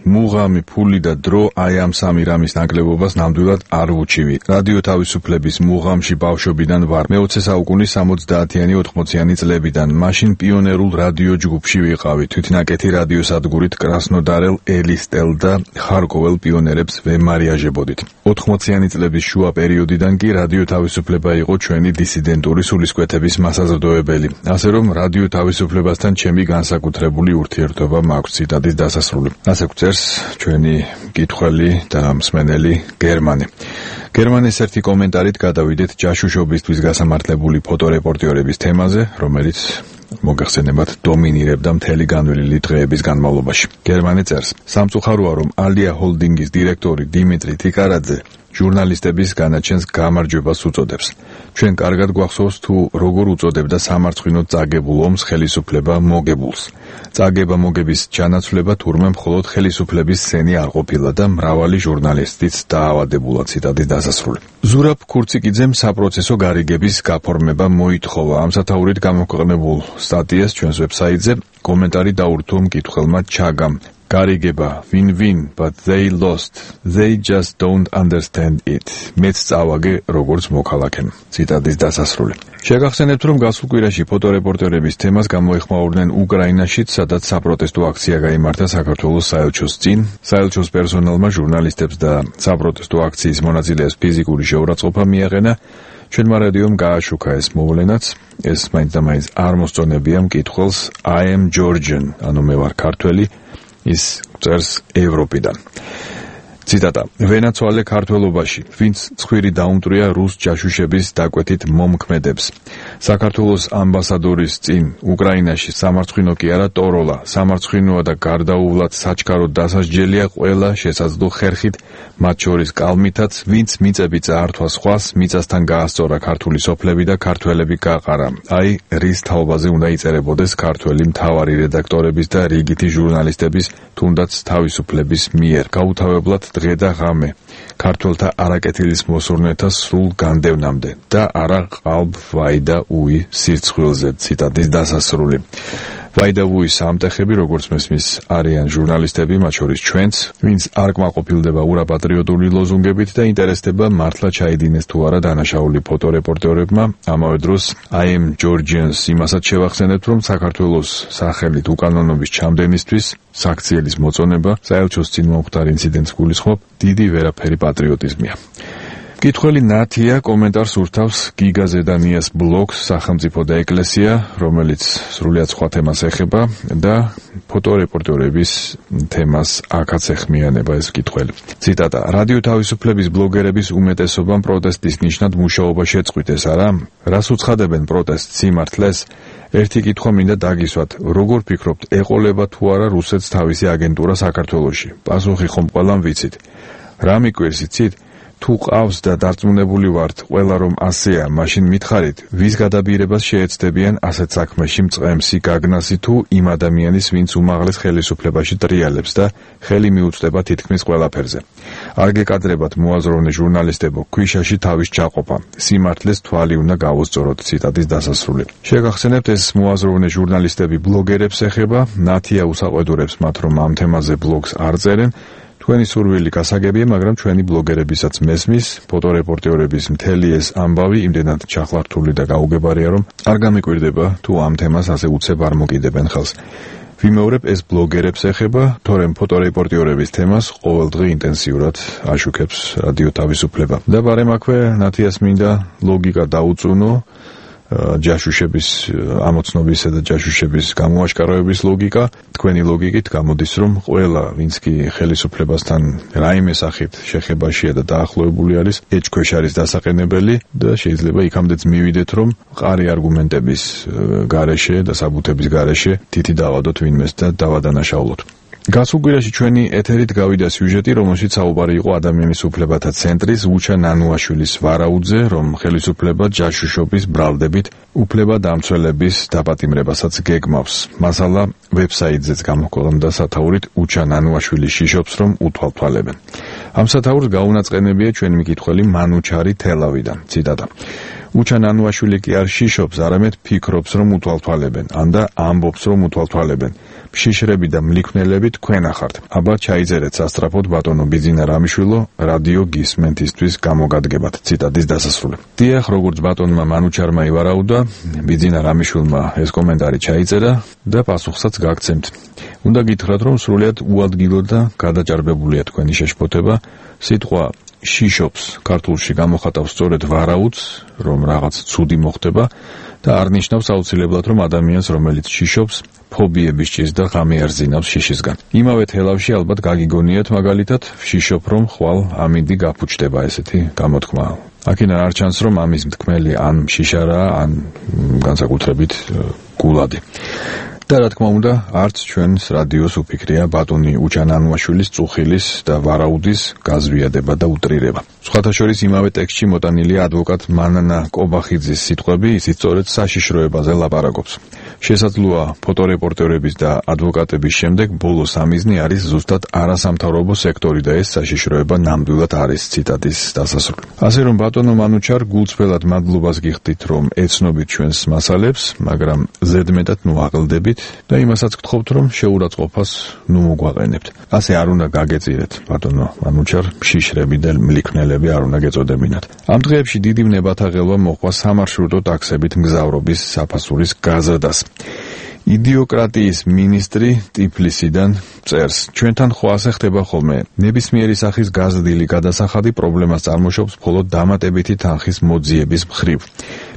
მუღამი, ფული და დრო აი ამ სამი რამის ნაკლებობას ნამდვილად არ ვუჩივი. რადიო თავისუფლების მუღამში ბავშვობიდან ვარ. მეოცე საუკუნის სამოცდაათიანი ოთხმოციანი წლებიდან. მაშინ პიონერულ რადიო ჯგუფში ვიყავი. თვითნაკეთი რადიოსადგურით კრასნოდარელ ელისტელ და ხარკოველ პიონერებს ვემარიაჟებოდით. ოთხმოციანი წლების შუა პერიოდიდან კი რადიო თავისუფლება იყო ჩვენი დისიდენტური სულისკვეთების მასაზრდოებელი. ასე რომ რადიო თავისუფლებასთან ჩემი განსაკუთრებული ურთიერთობა მაქვს. ციტატის დასასრული. ასე გვწერს ჩვენი მკითხველი და მსმენელი გერმანე. გერმანეს ერთი კომენტარით გადავიდეთ ჯაშუშობისთვის გასამართლებული ფოტორეპორტიორების თემაზე, რომელიც მოგეხსენებათ დომინირებდა მთელი განვლილი დღეების განმავლობაში. გერმანე წერს: სამწუხაროა, რომ ალია ჰოლდინგის დირექტორი დიმიტრი თიკარაძე ჟურნალისტების განაჩენს გამარჯვებას უწოდებს. ჩვენ კარგად გვახსოვს თუ როგორ უწოდებდა სამარცხვინოდ წაგებულ ომს ხელისუფლება მოგებულს. წაგება მოგების ჩანაცვლება თურმე მხოლოდ ხელისუფლების სცენი არ ყოფილა და მრავალი ჟურნალისტიც დაავადებულა. ციტატის დასასრული. ზურაბ ქურციკიძემ საპროცესო გარიგების გაფორმება მოითხოვა. ამ სათაურით გამოქვეყნებულ სტატიას ჩვენს ვებსაიტზე კომენტარი დაურთო მკითხველმა ჩაგამ. გარიგება win-win, but they lost. They just don't understand it. მეც წავაგე როგორც მოქალაქემ. ციტატის დასასრული. შეგახსენებთ, რომ გასულ კვირაში ფოტორეპორტერების თემას გამოეხმაურნენ უკრაინაშიც, სადაც საპროტესტო აქცია გაიმართა საქართველოს საელჩოს წინ. საელჩოს პერსონალმა ჟურნალისტებს და საპროტესტო აქციის მონაწილეებს ფიზიკური შეურაცხყოფა მიაყენა. ჩვენმა რადიომ გააშუქა ეს მოვლენაც, ეს მაინც და მაინც არ მოსწონებია მკითხველს I am Georgian, ანუ მე ვარ ქართველი, ის წერს ევროპიდან. ციტატა: ვენაცვალე ქართველობაში, ვინც ცხვირი დაუმტვრია რუს ჯაშუშების დაკვეთით მომქმედებს. საქართველოს ამბასადორის წინ უკრაინაში სამარცხვინო კი არა ტოროლა, სამარცხვინოა და გარდაუვლად საჩქაროდ დასასჯელია ყველა შესაძლო ხერხით, მათ შორის კალმითაც, ვინც მიწები წაართვა სხვას, მიწასთან გაასწორა ქართული სოფლები და ქართველები გაყარა. აი, რის თაობაზე უნდა იწერებოდეს ქართველი მთავარი რედაქტორების და რიგითი ჟურნალისტების, თუნდაც თავისუფლების მიერ. გაუთავებლად დღე და ღამე ქართველთა არაკეთილის მოსურნეთა სრულ განდევნამდე და არა ყალბ ვაიდა უი სირცხვილზე. ციტატის დასასრული. ვაიდა უის ამტეხები, როგორც მესმის, არიან ჟურნალისტები, მათ შორის ჩვენც, ვინც არ კმაყოფილდება ურაპატრიოტული ლოზუნგებით და ინტერესდება მართლა ჩაიდინეს თუ არა დანაშაული ფოტორეპორტერებმა. ამავე დროს I am Georgians იმასაც შევახსენებთ, რომ საქართველოს სახელით უკანონობის ჩამდენისთვის საქციელის მოწონება საელჩოს წინ მომხდარ ინციდენტს გულისხმობ დიდი ვერაფერი პატრიოტიზმია. კითხველი ნათია კომენტარს ურთავს გიგა ზედანიას ბლოგს სახელმწიფო და ეკლესია, რომელიც სრულიად სხვა თემას ეხება და ფოტორეპორტერების თემას აქაც ეხმიანება ეს კითხველი. ციტატა: რადიო თავისუფლების ბლოგერების უმეტესობამ პროტესტის ნიშნად მუშაობა შეწყვიტეს, არა? რას უცხადებენ პროტესტს სიმართლეს? ერთი კითხვა მინდა დაგისვათ, როგორ ფიქრობთ, ეყოლება თუ არა რუსეთს თავისი აგენტურა საქართველოში? პასუხი ხომ ყველამ ვიცით. რა მიკვირს იცით? თუ ყავს და დარწმუნებული ვართ ყველა რომ ასეა, მაშინ მითხარით, ვის გადაბირებას შეეცდებიან ასეთ საქმეში მწყემსი გაგნასი თუ იმ ადამიანის, ვინც უმაღლეს ხელისუფლებაში ტრიალებს და ხელი მიუწვდება თითქმის ყველაფერზე. არ გეკადრებათ მოაზროვნე ჟურნალისტებო, ქვიშაში თავის ჩაყოფა. სიმართლეს თვალი უნდა გავუსწოროთ. ციტატის დასასრული. შეგახსენებთ, ეს მოაზროვნე ჟურნალისტები ბლოგერებს ეხება, ნათია უსაყვედურებს მათ, რომ ამ თემაზე ბლოგს არ წერენ. თქვენი სურვილი გასაგებია, მაგრამ ჩვენი ბლოგერებისაც მესმის, ფოტორეპორტერების მთელი ეს ამბავი იმდენად ჩახლართული და გაუგებარია, რომ არ გამიკვირდება თუ ამ თემას ასე უცებ არ მოკიდებენ ხელს. ვიმეორებ, ეს ბლოგერებს ეხება, თორემ ფოტორეპორტერების თემას ყოველდღე ინტენსიურად აშუქებს რადიო თავისუფლება. და ბარემ აქვე ნათიას მინდა ლოგიკა დაუწუნო, ჯაშუშების ამოცნობისა და ჯაშუშების გამოაშკარავების ლოგიკა. თქვენი ლოგიკით გამოდის, რომ ყველა, ვინც კი ხელისუფლებასთან რაიმე სახით შეხებაშია და დაახლოებული არის, ეჭქვეშ არის დასაყენებელი და შეიძლება იქამდეც მივიდეთ, რომ მყარი არგუმენტების გარეშე და საბუთების გარეშე თითი დავადოთ ვინმეს და დავადანაშაულოთ. გასულ კვირაში ჩვენი ეთერით გავიდა სიუჟეტი, რომელშიც საუბარი იყო ადამიანის უფლებათა ცენტრის უჩა ნანუაშვილის ვარაუდზე, რომ ხელისუფლება ჯაშუშობის ბრალდებით უფლებადამცველების დაპატიმრებასაც გეგმავს. მასალა ვებსაიტზეც გამოქვეყნდა სათაურით უჩა ნანუაშვილი შიშობს, რომ უთვალთვალებენ. ამ სათაურს გაუნაწყენებია ჩვენი მკითხველი მანუჩარი თელავიდან. ციტატა: უჩა ნანუაშვილი კი არ შიშობს, არამედ ფიქრობს, რომ უთვალთვალებენ, ან და ამბობს, რომ უთვალთვალებენ. შიშრები და მლიქვნელები თქვენ ახართ. აბა ჩაიწერეთ სასტრაფოდ ბატონო ბიძინა რამიშვილო, რადიო გისმენთისთვის გამოგადგებათ. ციტატის დასასრული. დიახ, როგორც ბატონმა მანუჩარმა ივარაუდა, ბიძინა რამიშვილმა ეს კომენტარი ჩაიწერა და პასუხსაც გაგცემთ. უნდა გითხრათ, რომ სრულიად უადგილო და გადაჭარბებულია თქვენი შეშფოთება. სიტყვა შიშობს ქართულში გამოხატავს სწორედ ვარაუდს, რომ რაღაც ცუდი მოხდება და არ ნიშნავს აუცილებლად, რომ ადამიანს, რომელიც შიშობს, ფობიების ჭირს და ღამე არ ზინავს შიშისგან. იმავე თელავში ალბათ გაგიგონიათ მაგალითად, შიშობ რომ ხვალ ამინდი გაფუჭდება, ესეთი გამოთქმა. აქედან არ ჩანს, რომ ამის მთქმელი ან შიშარაა, ან განსაკუთრებით გულადი. და რა თქმა უნდა, არც ჩვენს რადიოს უფიქრია ბატონი უჩა ნანუაშვილის წუხილის და ვარაუდის გაზვიადება და უტრირება. სხვათა შორის იმავე ტექსტში მოტანილია ადვოკატ მანანა კობახიძის სიტყვები, ისიც სწორედ საშიშროებაზე ლაპარაკობს. შესაძლოა ფოტორეპორტერების და ადვოკატების შემდეგ ბოლო სამიზნე არის ზუსტად არასამთავრობო სექტორი და ეს საშიშროება ნამდვილად არის ციტატის დასასრული. ასე რომ ბატონო მანუჩარ, გულწრფელად მადლობას გიხდით, რომ ეცნობით ჩვენს მასალებს, მაგრამ ზედმეტად ნუ აღელდებით და იმასაც გთხოვთ, რომ შეურაცხყოფას ნუ მოგვაყენებთ. ასე არ უნდა გაგეწირეთ, ბატონო მანუჩარ, შიშრები და მლიქნელები არ უნდა გეწოდებინათ. ამ დღეებში დიდი ვნებათა ღელვა მოყვა სამარშრუტო ტაქსებით მგზავრობის საფასურის გაზრდას. იდიოკრატიის მინისტრი ტიფლისიდან წერს: ჩვენთან ხო ასე ხდება ხოლმე, ნებისმიერი სახის გაზრდილი გადასახადი პრობლემას წარმოშობს მხოლოდ დამატებითი თანხის მოძიების მხრივ.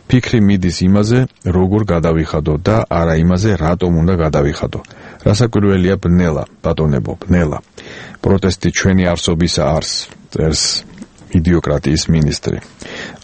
ფიქრი მიდის იმაზე, როგორ გადავიხადო და არა იმაზე, რატომ უნდა გადავიხადო. რასაკვირველია, ბნელა, ბატონებო, ბნელა. პროტესტი ჩვენი არსობისა არს, წერს იდიოკრატიის მინისტრი.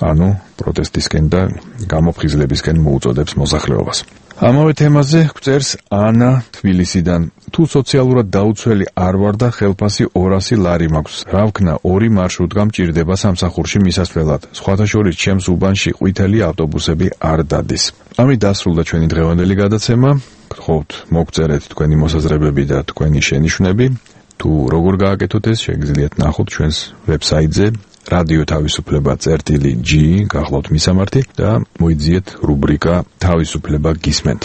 ანუ პროტესტისკენ და გამოფხიზლებისკენ მოუწოდებს მოსახლეობას. ამავე თემაზე გვწერს ანა თბილისიდან: თუ სოციალურად დაუცველი არ ვარ და ხელფასი ორასი ლარი მაქვს, რა ვქნა, ორი მარშრუტკა მჭირდება სამსახურში მისასვლელად. სხვათა შორის ჩემს უბანში ყვითელი ავტობუსები არ დადის. ამით დასრულდა ჩვენი დღევანდელი გადაცემა. გთხოვთ მოგწერეთ თქვენი მოსაზრებები და თქვენი შენიშვნები. თუ როგორ გააკეთოთ ეს, შეგიძლიათ ნახოთ ჩვენს ვებსაიტზე რადიო თავისუფლება წერტილი G, გახლავთ მისამართი და მოიძიეთ რუბრიკა თავისუფლება გისმენთ.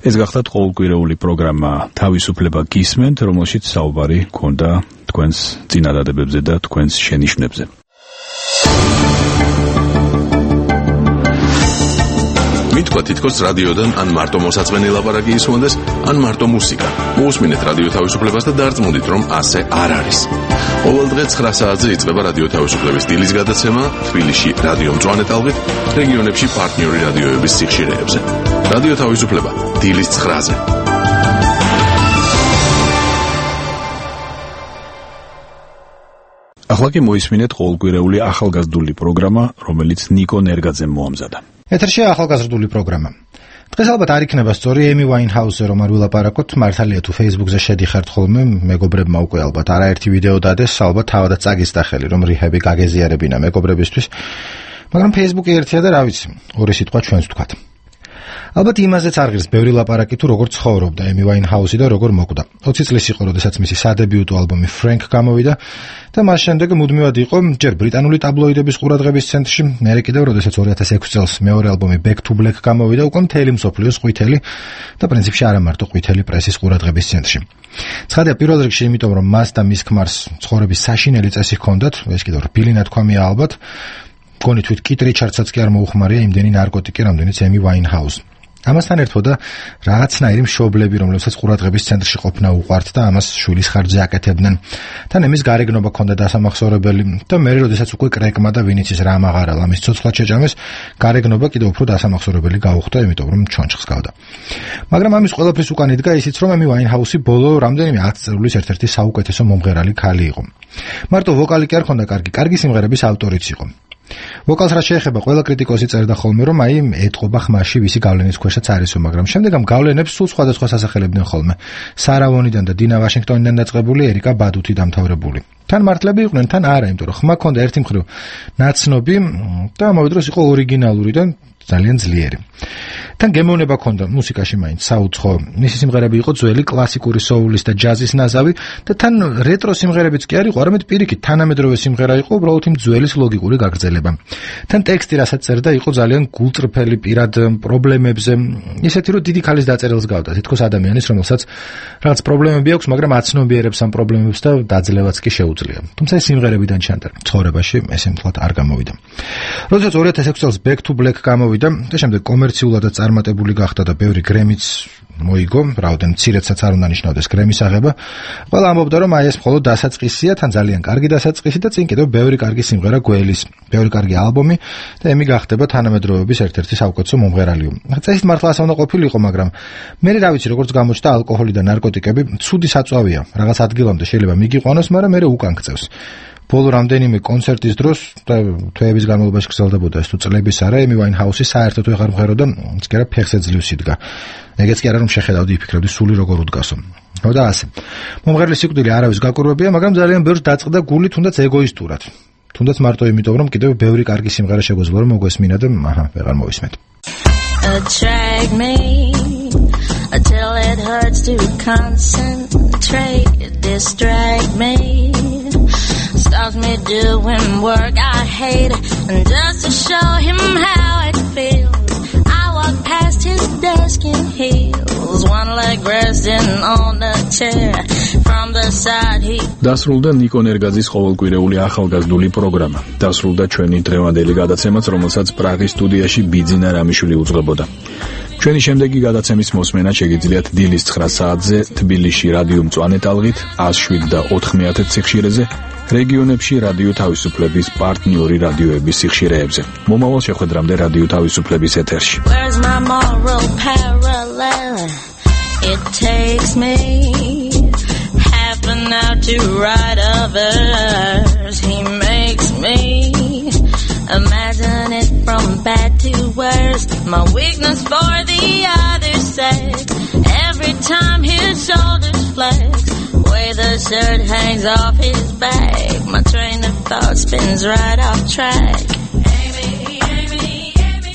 ეს გახლავთ ყოველკვირეული პროგრამა თავისუფლება გისმენთ, რომელშიც საუბარი გქონდა თქვენს წინადადებებზე და თქვენს შენიშვნებზე. მითქვა თითქოს რადიოდან ან მარტო მოსაწვენი ლაპარაკი ისმონდეს, ან მარტო მუსიკა. მოусმინეთ რადიო თავისუფლებას და დარწმუნდით, რომ ასე არ არის. ყოველ დღე ცხრა საათზე იწყება რადიო თავისუფლების დილის გადაცემა თბილისში რადიო მწვანე ტალღით, რეგიონებში პარტნიორი რადიოების სიხშირეებზე. რადიო თავისუფლება დილის ცხრაზე. ახლა კი მოისმინეთ ყოველკვირეული ახალგაზრდული პროგრამა, რომელიც ნიკო ნერგაძემ მოამზადა. ეთერშია ახალგაზრდული პროგრამა. დღეს ალბათ არ იქნება სწორი ემი ვაინჰაუსზე რომ არ ვილაპარაკოთ, მართალია თუ Facebook-ზე შედიხართ ხოლმე, მეგობრებმა უკვე ალბათ არაერთი ვიდეო დადეს, ალბათ თავადაც წაგისტახელი რომ რიჰები გაგეზიარებინა მეგობრებისთვის, მაგრამ Facebook-ი ერთია და რა ვიცი, ორი სიტყვა ჩვენს ვთქვათ. ალბათ იმაზეც არ ღირს ბევრი ლაპარაკი თუ როგორ ცხოვრობდა ემი ვაინჰაუსი და როგორ მოკვდა. ოცი წლის იყო, როდესაც მისი სადებიუტო ალბომი Frank გამოვიდა და მას შემდეგ მუდმივად იყო ჯერ ბრიტანული ტაბლოიდების ყურადღების ცენტრში, მერე კიდევ როდესაც ორი ათას ექვსი წელს მეორე ალბომი Back to Black გამოვიდა, უკვე მთელი მსოფლიოს ყვითელი და პრინციპში არა მარტო ყვითელი პრესის ყურადღების ცენტრში. ცხადია პირველ რიგში იმიტომ, რომ მას და მის ქმარს ცხოვრების საშინელი წესი ჰქონდათ, ეს კიდევ რბილი ნათქვამია ალბათ. მგონი თვით კით რიჩარდსაც კი არ მოუხმარია იმდენი ნარკოტიკი, რამდენიც ემი ვაინჰაუს. ამასთან ერთად რაღაცნაირი მშობლები, რომლებსაც ყურადღების ცენტრში ყოფნა უყვართ და ამას შვილის ხარჯზე აკეთებდნენ. თან ემის გარეგნობა ჰქონდა დასამახსოვრებელი და მე როდესაც უკვე კრეკმა და ვინიცის რამ აღარა ლამის ცოცხლად შეჭამეს, გარეგნობა კიდევ უფრო დასამახსოვრებელი გაუხდა, იმიტომ რომ ჩონჩხს გავდა. მაგრამ ამის ყველაფრის უკან იდგა ისიც, რომ ემი ვაინჰაუსი ბოლო რამდენიმე ათ წელს ერთ-ერთი საუკეთესო მომღერალი ქალი იყო. მარტო ვოკალი კი არ ჰქონდა კარგი, კარგი სიმღერების ავტორიც იყო. ვოკალს რაც შეეხება, ყველა კრიტიკოსი წერდა ხოლმე, რომ აი ეტყობა ხმაში ვისი გავლენის ქვეშაც არისო, მაგრამ შემდეგ ამ გავლენებს სულ სხვადასხვა სასახელებდნენ ხოლმე. სარა ვონიდან და დინა ვაშინგტონიდან დაწყებული, ერიკა ბადუთი დამთავრებული. თან მართლები იყვნენ, თან არა, იმიტომ რომ ხმა ჰქონდა ერთი მხრივ ნაცნობი და ამავე დროს იყო ორიგინალური და ძალიან ძლიერი. თან გემოვნება ჰქონდა მუსიკაში მაინც საუცხო. მისი სიმღერები იყო ძველი კლასიკური სოულის და ჯაზის ნაზავი და თან რეტრო სიმღერებიც კი არ იყო, არამედ პირიქით თანამედროვე სიმღერა იყო, უბრალოდ იმ ძველის ლოგიკური გაგრძელება. თან ტექსტი რასაც წერდა იყო ძალიან გულწრფელი პირად პრობლემებზე, ისეთი რომ დიდი ქალის დაწერილს გავდა, თითქოს ადამიანის, რომელსაც რაღაც პრობლემები აქვს, მაგრამ აცნობიერებს ამ პრობლემებს და დაძლევაც კი შეუძლია. თუმცა ეს სიმღერებიდან ჩანდა, ცხოვრებაში ეს ემთლად არ გამოვიდა. როდესაც ორი ათას ექვსი წელს Back to Black გამოვიდა და შემდეგ კომერციულად წარმატებული გახდა და ბევრი გრემიც მოიგო, რაოდენ მცირედსაც არ უნდა ნიშნავდეს გრემის აღება. ყველა ამბობდა, რომ აი ეს მხოლოდ დასაწყისია, თან ძალიან კარგი დასაწყისი და წინ კიდევ ბევრი კარგი სიმღერა გველის, ბევრი კარგი ალბომი და ემი გახდება თანამედროვეობის ერთ-ერთი საუკეთესო მომღერალი. წესით მართლა ასე უნდა ყოფილიყო, მაგრამ მე რა ვიცი, როგორც გამოჩნდა, ალკოჰოლი და ნარკოტიკები ცუდი საწვავია. რაღაც ადგილამდე შეიძლება მიგიყვანოს, მაგრამ მე უკან გწევს. ბოლო რამდენიმე კონცერტის დროს და თვეების განმავლობაში გრძელდებოდა ეს თუ წლების არა, ემი ვაინჰაუსი საერთოდ ვეღარ მღეროდა, ის კი არა ფეხზე ძლივს იდგა. ეგეც კი არა რომ შეხედავდი, იფიქრებდი სული როგორ უდგასო. და ასე. მომღერლის სიკვდილი არავის გაკურვებია, მაგრამ ძალიან ბევრს დაწყდა გული თუნდაც ეგოისტურად. თუნდაც მარტო იმიტომ, რომ კიდევ ბევრი კარგი სიმღერა შეგვეძლო რომ მოგვესმინა და აჰა, ვეღარ მოვისმენთ. Attract me until it hurts to concentrate, distract me, stops me doing work I hate, and just to show him how it feels, I walk past his desk in heels, one leg resting on the chair, from the side he დასრულდა ნიკო ნერგაძის ყოველკვირეული ახალგაზრდული პროგრამა. დასრულდა ჩვენი დღევანდელი გადაცემაც, რომელსაც პრაღის სტუდიაში ბიძინა რამიშვილი უძღვებოდა. ჩვენი შემდეგი გადაცემის მოსმენა შეგიძლიათ დილის ცხრა საათზე თბილისში რადიო მწვანე ტალღით one oh seven და four method სიხშირეზე, რეგიონებში რადიო თავისუფლების პარტნიორი რადიოების სიხშირეებზე. მომავალ შეხვედრამდე რადიო თავისუფლების ეთერში. Where's my moral parallel? It takes me half an hour to write a verse. He makes me imagine it from bad to worse. My weakness for the other sex. Every time his shoulders flex, way the shirt hangs off his back, my train of thought spins right off track.